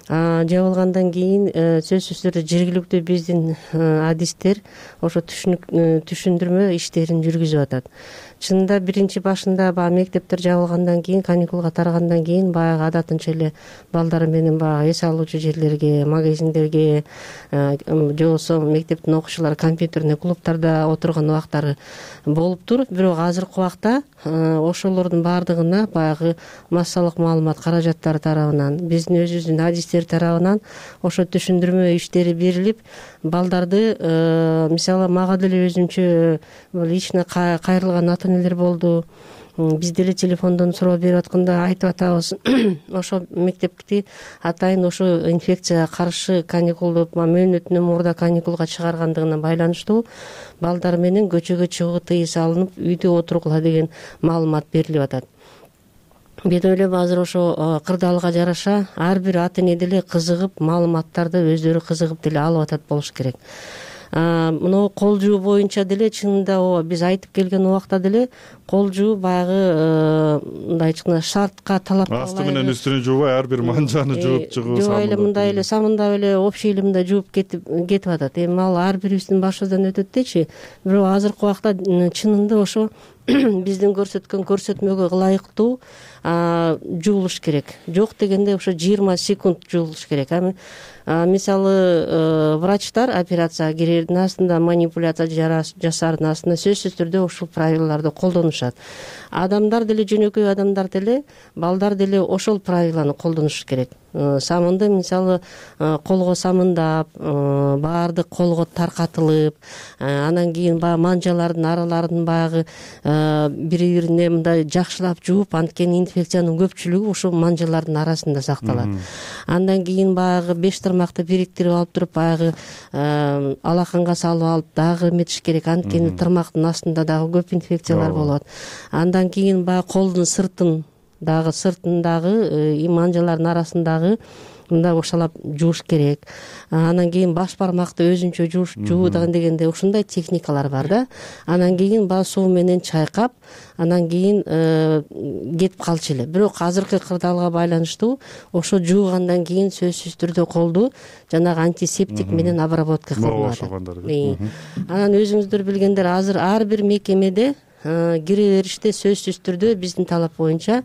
Жабылгандан кийин сөзсүз түрдө жергиликтүү биздин адистер ошо түшүндүрмө иштерин жүргүзүп атат. Чынында биринчи башында баягы мектептер жабылгандан кийин, каникулга тарагандан кийин баягы адатынча эле балдар менен баягы эс алуучу жерлерге, магазиндерге же болбосо мектептин окуучулары компьютерный клубтарда отурган убактары болуптур. Бирок азыркы убакта ошолордун баардыгына баягы массалык маалымат каражаттары тарабынан, биздин өзүбүздүн адистер тарабынан ошо түшүндүрмө иштери берилип, балдарды мисалы мага деле өзүнчө лично кайрылган ата энелер болду. Биз деле телефондон суроо берип атканда айтып атабыз, ошо мектепти атайын ошо инфекцияга каршы каникулду мөөнөтүнөн мурда каникулга чыгаргандыгына байланыштуу балдар менен көчөгө чыгуу тыюу салынып, үйдө отургула деген маалымат берилип атат. Мен ойлойм азыр ошо кырдаалга жараша ар бир ата эне деле кызыгып, маалыматтарды өздөрү кызыгып деле алып атат болуш керек. Мына кол жуу боюнча деле чынында ооба биз айтып келген убакта деле кол жуу баягы мындай айтканда шартка, талапка асты менен үстүнү жуубай ар бир манжаны жууп чыгуу, жубай эле мындай эле самындап эле общий эле мындай жууп кетип кетип атат. Эми ал ар бирибиздин башыбыздан өтөт дечи. Бирок азыркы убакта чынында ошо биздин көрсөткөн көрсөтмөгө ылайыктуу жуулуш керек. Жок дегенде ошо жыйырма секунд жуулуш керек. Мисалы врачтар операцияга кирердин астында, манипуляция жасаардын астында сөзсүз түрдө ушул правилаларды колдонушат. Адамдар деле, жөнөкөй адамдар деле, балдар деле ошол правиланы колдонуш керек. Самынды мисалы колго самындап, баардык колго таркатылып, анан кийин баягы манжалардын араларын баягы бири-бирине мындай жакшылап жууп, анткени инфекциянын көпчүлүгү ушул манжалардын арасында сакталат. Андан кийин баягы беш тармакты бириктирип алып туруп, баягы алаканга салып алып дагы эметиш керек, анткени тармактын астында дагы көп инфекциялар болот. Андан кийин баягы колдун сыртын дагы сыртындагы манжалардын арасындагы мындай ошалап жууш керек. Анан кийин баш бармакты өзүнчө жуу дегенде ушундай техникалар бар да. Анан кийин баягы суу менен чайкап, анан кийин кетип калчу эле. Бирок азыркы кырдаалга байланыштуу ошо жуугандан кийин сөзсүз түрдө колду жанагы антисептик менен обработка кылынат. Анан өзүңүздөр билгендер, азыр ар бир мекемеде кире бериште сөзсүз түрдө биздин талап боюнча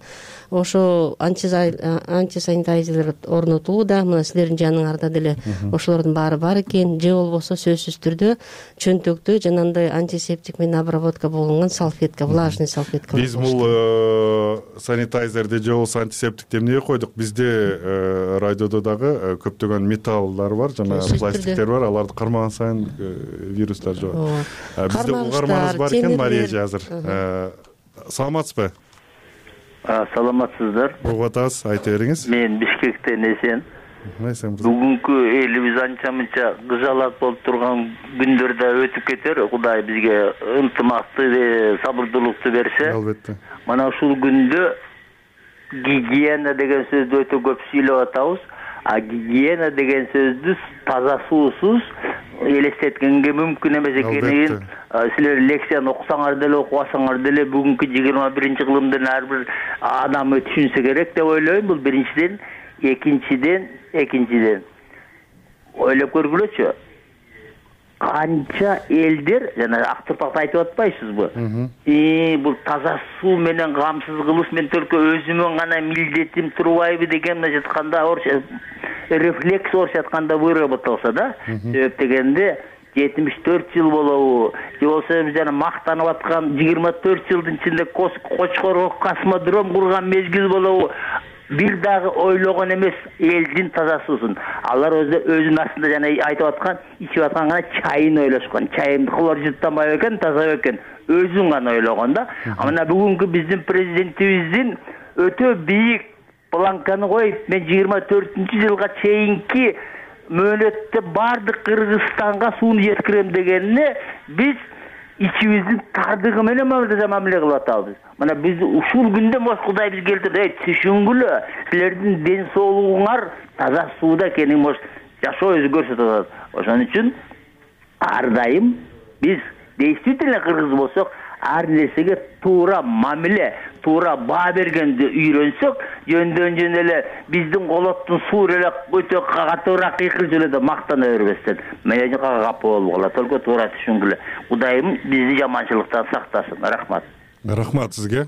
ошо антисанитайзерлер орнотулууда. Мына силердин жаныңарда деле ошолордун баары бар экен. Же болбосо сөзсүз түрдө чөнтөктө жанагындай антисептик менен обработка болгон салфетка, влажный салфетка. Биз бул санитайзерди же болбосо антисептикти эмнеге койдук? Бизде радиодо дагы көптөгөн металлдар бар, жана пластиктер бар. Аларды кармаган сайын вирустар жугат. Бизде угарманыбыз бар экен, Мария азыр. Саламатсызбы? Саламатсыздар. Угуп атабыз, айта бериңиз. Мен Бишкектен эсен. Бүгүнкү элибиз анча-мынча кыжалат болуп турган күндөр да өтүп кетер. Кудай бизге ынтымакты, сабырдуулукту берсе. Албетте. Мана ушул күндө гигиена деген сөздү өтө көп сүйлөп атабыз. А гигиена деген сөздү таза суусуз элестеткенге мүмкүн эмес экенин силер лекцияны окусаңар деле, окубасаңар деле бүгүнкү жыйырма биринчи кылымдын ар бир адамы түшүнсө керек деп ойлойм. Бул биринчиден, экинчиден, экинчиден ойлоп көргүлөчү. Канча элдер, жана ак турпакта айтып атпайсызбы? И бул таза суу менен камсыз кылыш мен только өзүмөн гана милдетим турбайбы деген жатканда рефлекс орус айтканда выработался да. Себеп дегенде жетимиш төрт жыл болобу, же болсо жана мактанып аткан жыйырма төрт жылдын ичинде Кочкорго космодром курган мезгил болобу. Бир дагы ойлогон эмес элдин таза суусун. Алар өзүнүн астында жана айтып аткан, ичип аткан гана чайын ойлошкон. Чайымды хлор жуттанбайбы экен, таза экен. Өзүн гана ойлогон да. Мына бүгүнкү биздин президентибиздин өтө бийик планканы коюп, мен жыйырма төртүнчү жылга чейинки мөөнөттө баардык Кыргызстанга сууну жеткирем дегенине биз ичибиздин тардыгы менен мамиле кылып атабыз. Мына биз ушул күндө мош Кудай бизге келтирди. Эй, түшүнгүлө, силердин ден соолугуңар таза сууда экенин мош жашоо өзү көрсөтүп атат. Ошон үчүн ар дайым биз действительно кыргыз болсок, ар нерсеге туура мамиле, туура баа бергенди үйрөнсөк, жөндөн жөн эле биздин колоттун суу эле өтө катуураак кыйкылып эле деп мактана бербестен, мен капа болуп калат. Только туура түшүнгүлө. Кудайым бизди жаманчылыктан сактасын. Рахмат. Рахмат сизге.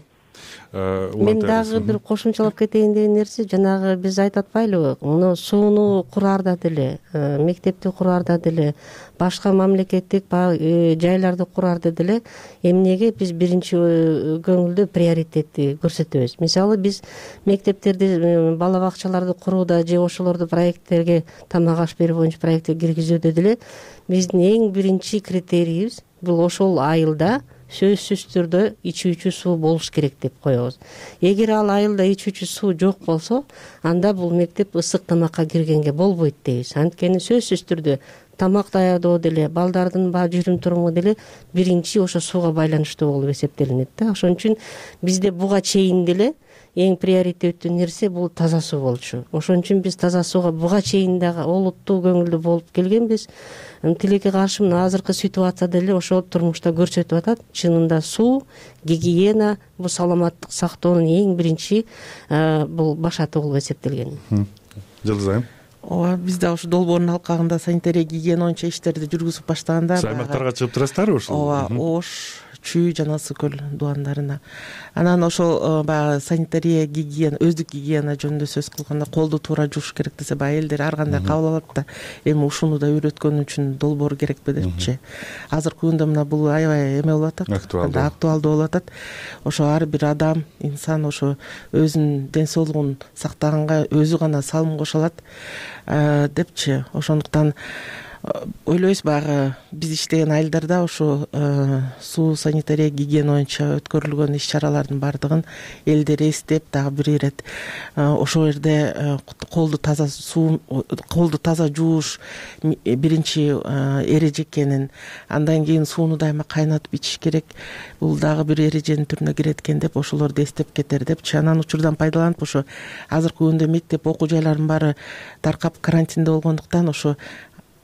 Мен дагы бир кошумчалап кетейин деген нерсе, жанагы биз айтып атпайлыбы, муну сууну кураарда деле, мектепти кураарда деле, башка мамлекеттик жайларды кураарда деле эмнеге биз биринчи көңүлдө приоритетти көрсөтөбүз. Мисалы биз мектептерди, бала бакчаларды курууда же ошолорду проекттерге, тамак аш берүү боюнча проектке киргизүүдө деле биздин эң биринчи критерийибиз бул ошол айылда сөзсүз түрдө ичүүчү суу болуш керек деп коебуз. Эгер ал айылда ичүүчү суу жок болсо, анда бул мектеп ысык тамакка киргенге болбойт дейбиз. Анткени сөзсүз түрдө тамак даярдоо деле, балдардын баа жүрүм туруму деле биринчи ошо сууга байланыштуу болуп эсептелинет да. Ошон үчүн бизде буга чейин деле эң приоритеттүү нерсе бул таза суу болчу. Ошон үчүн биз таза сууга буга чейин дагы олуттуу көңүлдүү болуп келгенбиз. Тилекке каршы мына азыркы ситуацияда деле ошол турмушта көрсөтүп атат. Чынында суу, гигиена бул саламаттык сактоонун эң биринчи бул башаты болуп эсептелген. Жылдыз айым. Ооба, биз да ушу долбоордун алкагында санитария гигиена боюнча иштерди жүргүзүп баштаганда аймактарга чыгып турасыздарбы ушул? Ооба, Ош, Чүй жана Ысык көл дубандарына. Анан ошол баягы санитария гигиена, өздүк гигиена жөнүндө сөз кылганда колду туура жууш керек десе, баягы элдер ар кандай кабыл алат да, эми ушуну да үйрөткөн үчүн долбоор керекпи депчи. Азыркы күндө мына бул аябай эме болуп атат, актуалдуу болуп атат. Ошо ар бир адам, инсан ошо өзүнүн ден соолугун сактаганга өзү гана салым кошо алат депчи. Ошондуктан ойлойбуз, баягы биз иштеген айылдарда ошо суу, санитария, гигиена боюнча өткөрүлгөн иш чаралардын баардыгын элдер эстеп, дагы бир ирет ошол жерде колду таза суу, колду таза жууш биринчи эреже экенин, андан кийин сууну дайыма кайнатып ичиш керек, бул дагы бир эреженин түрүнө кирет экен деп ошолорду эстеп кетер депчи. Анан учурдан пайдаланып ошо азыркы күндө мектеп, окуу жайлардын баары таркап карантинде болгондуктан ошо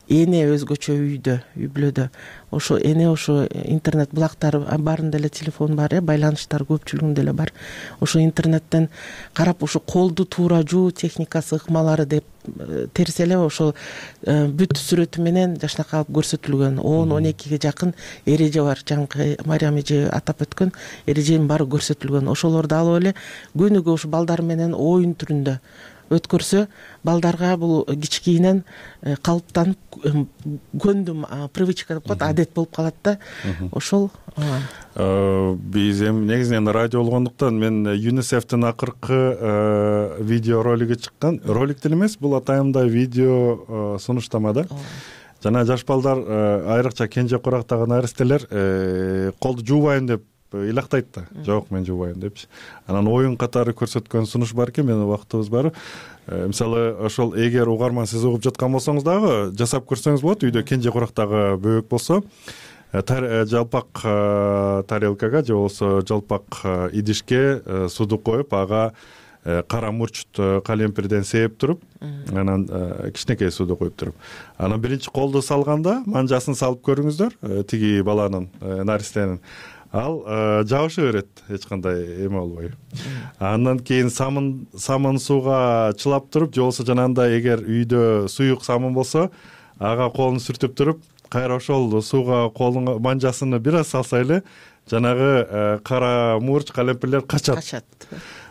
эне өзгөчө үйдө, үй бүлөдө. Ошо эне ошо интернет булактар баарында эле телефон бар, э, байланыштар көпчүлүгүндө эле бар. Ошо интернеттен карап ошо колду туура жуу техникасы, ыкмалары деп терсе эле ошол бүт сүрөтү менен жакшынакай алып көрсөтүлгөн он он экиге жакын эреже бар. Жаңы Мариям эже атап өткөн эреженин баары көрсөтүлгөн. Ошолорду алып эле күнүгө ушу балдар менен оюн түрүндө өткөрсө, балдарга бул кичкейинен калыптанып көндүм, привычка деп коет, адет болуп калат да. Ошол биз эми негизинен радио болгондуктан мен ЮНИСЕФтин акыркы видео ролиги чыккан, ролик деле эмес, бул атайында видео сунуштама да. Жана жаш балдар, айрыкча кенже курактагы наристелер колду жуубайм деп илактайт да. Жок, мен жуубайм депчи. Анан оюн катары көрсөткөн сунуш бар экен, менин убактыбыз бар. Мисалы, ошол эгер угарман сиз угуп жаткан болсоңуз дагы жасап көрсөңүз болот. Үйдө кенже курактагы бөбөк болсо, жалпак тарелкага же болбосо жалпак идишке сууду коюп, ага кара мурчт калемпирден сээп туруп, анан кичинекей сууду коюп туруп, анан биринчи колду салганда манжасын салып көрүңүздөр, тиги баланын, наристенин. Ал жабыша берет, эч кандай эме болбой. Андан кийин самын самын сууга чылап туруп, же болбосо жанагындай эгер үйдө суюк самын болсо, ага колун сүртүп туруп, кайра ошол сууга колун манжасыны бир аз салса эле, жанагы кара мурч, калемпирлер качат. Качат.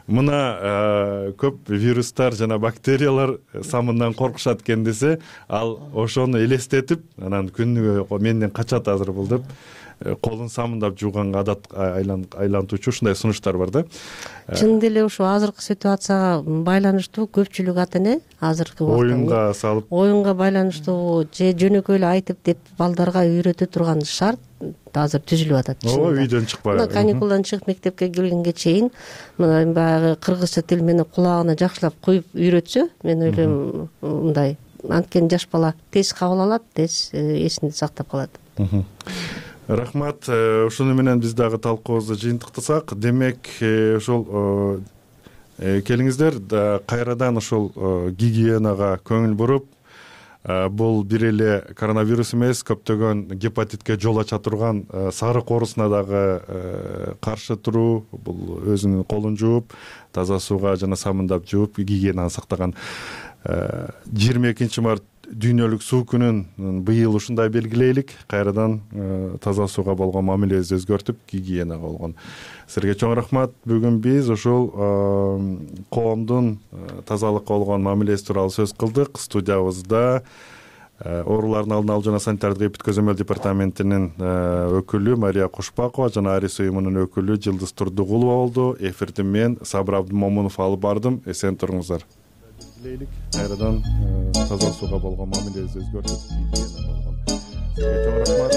Мына көп вирустар жана бактериялар самындан коркушат экен десе, ал ошону элестетип, анан күнүгө менден качат азыр бул деп колун самындап жууганга адат айлантуучу ушундай сунуштар бар да. Чын деле ошо азыркы ситуацияга байланыштуу көпчүлүк ата эне азыркы убакта оюнга салып, оюнга байланыштуу же жөнөкөй эле айтып деп балдарга үйрөтө турган шарт азыр түзүлүп атат. Ооба, үйдөн чыкпай. Мына каникулдан чыгып мектепке келгенге чейин мына баягы кыргызча тил менен кулагына жакшылап куюп үйрөтсө, мен ойлойм мындай анткени жаш бала тез кабыл алат, тез эсинде сактап калат. Рахмат. Ушуну менен биз дагы талкуубузду жыйынтыктасак, демек ушул келиңиздер кайрадан ушул гигиенага көңүл буруп, бул бир эле коронавирус эмес, көптөгөн гепатитке жол ача турган сарык оорусуна дагы каршы туруу, бул өзүнүн колун жууп, таза сууга жана самындап жууп, гигиенаны сактаган. жыйырма экинчи март дүйнөлүк суу күнүн быйыл ушундай белгилейлик. Кайрадан таза сууга болгон мамилебизди өзгөртүп, гигиенага болгон. Силерге чоң рахмат. Бүгүн биз ушул коомдун тазалыкка болгон мамилеси тууралуу сөз кылдык. Студиябызда оорулардын алдын алуу жана санитардык эпид көзөмөл департаментинин өкүлү Мария Кушпакова жана Арис уюмунун өкүлү Жылдыз Турдугулова болду. Эфирди мен Сабыр Абдымомунов алып бардым. Эсен туруңуздар. Кайрадан таза сууга болгон мамилебизди өзгөртүп, гигиена болгон. Сизге чоң рахмат.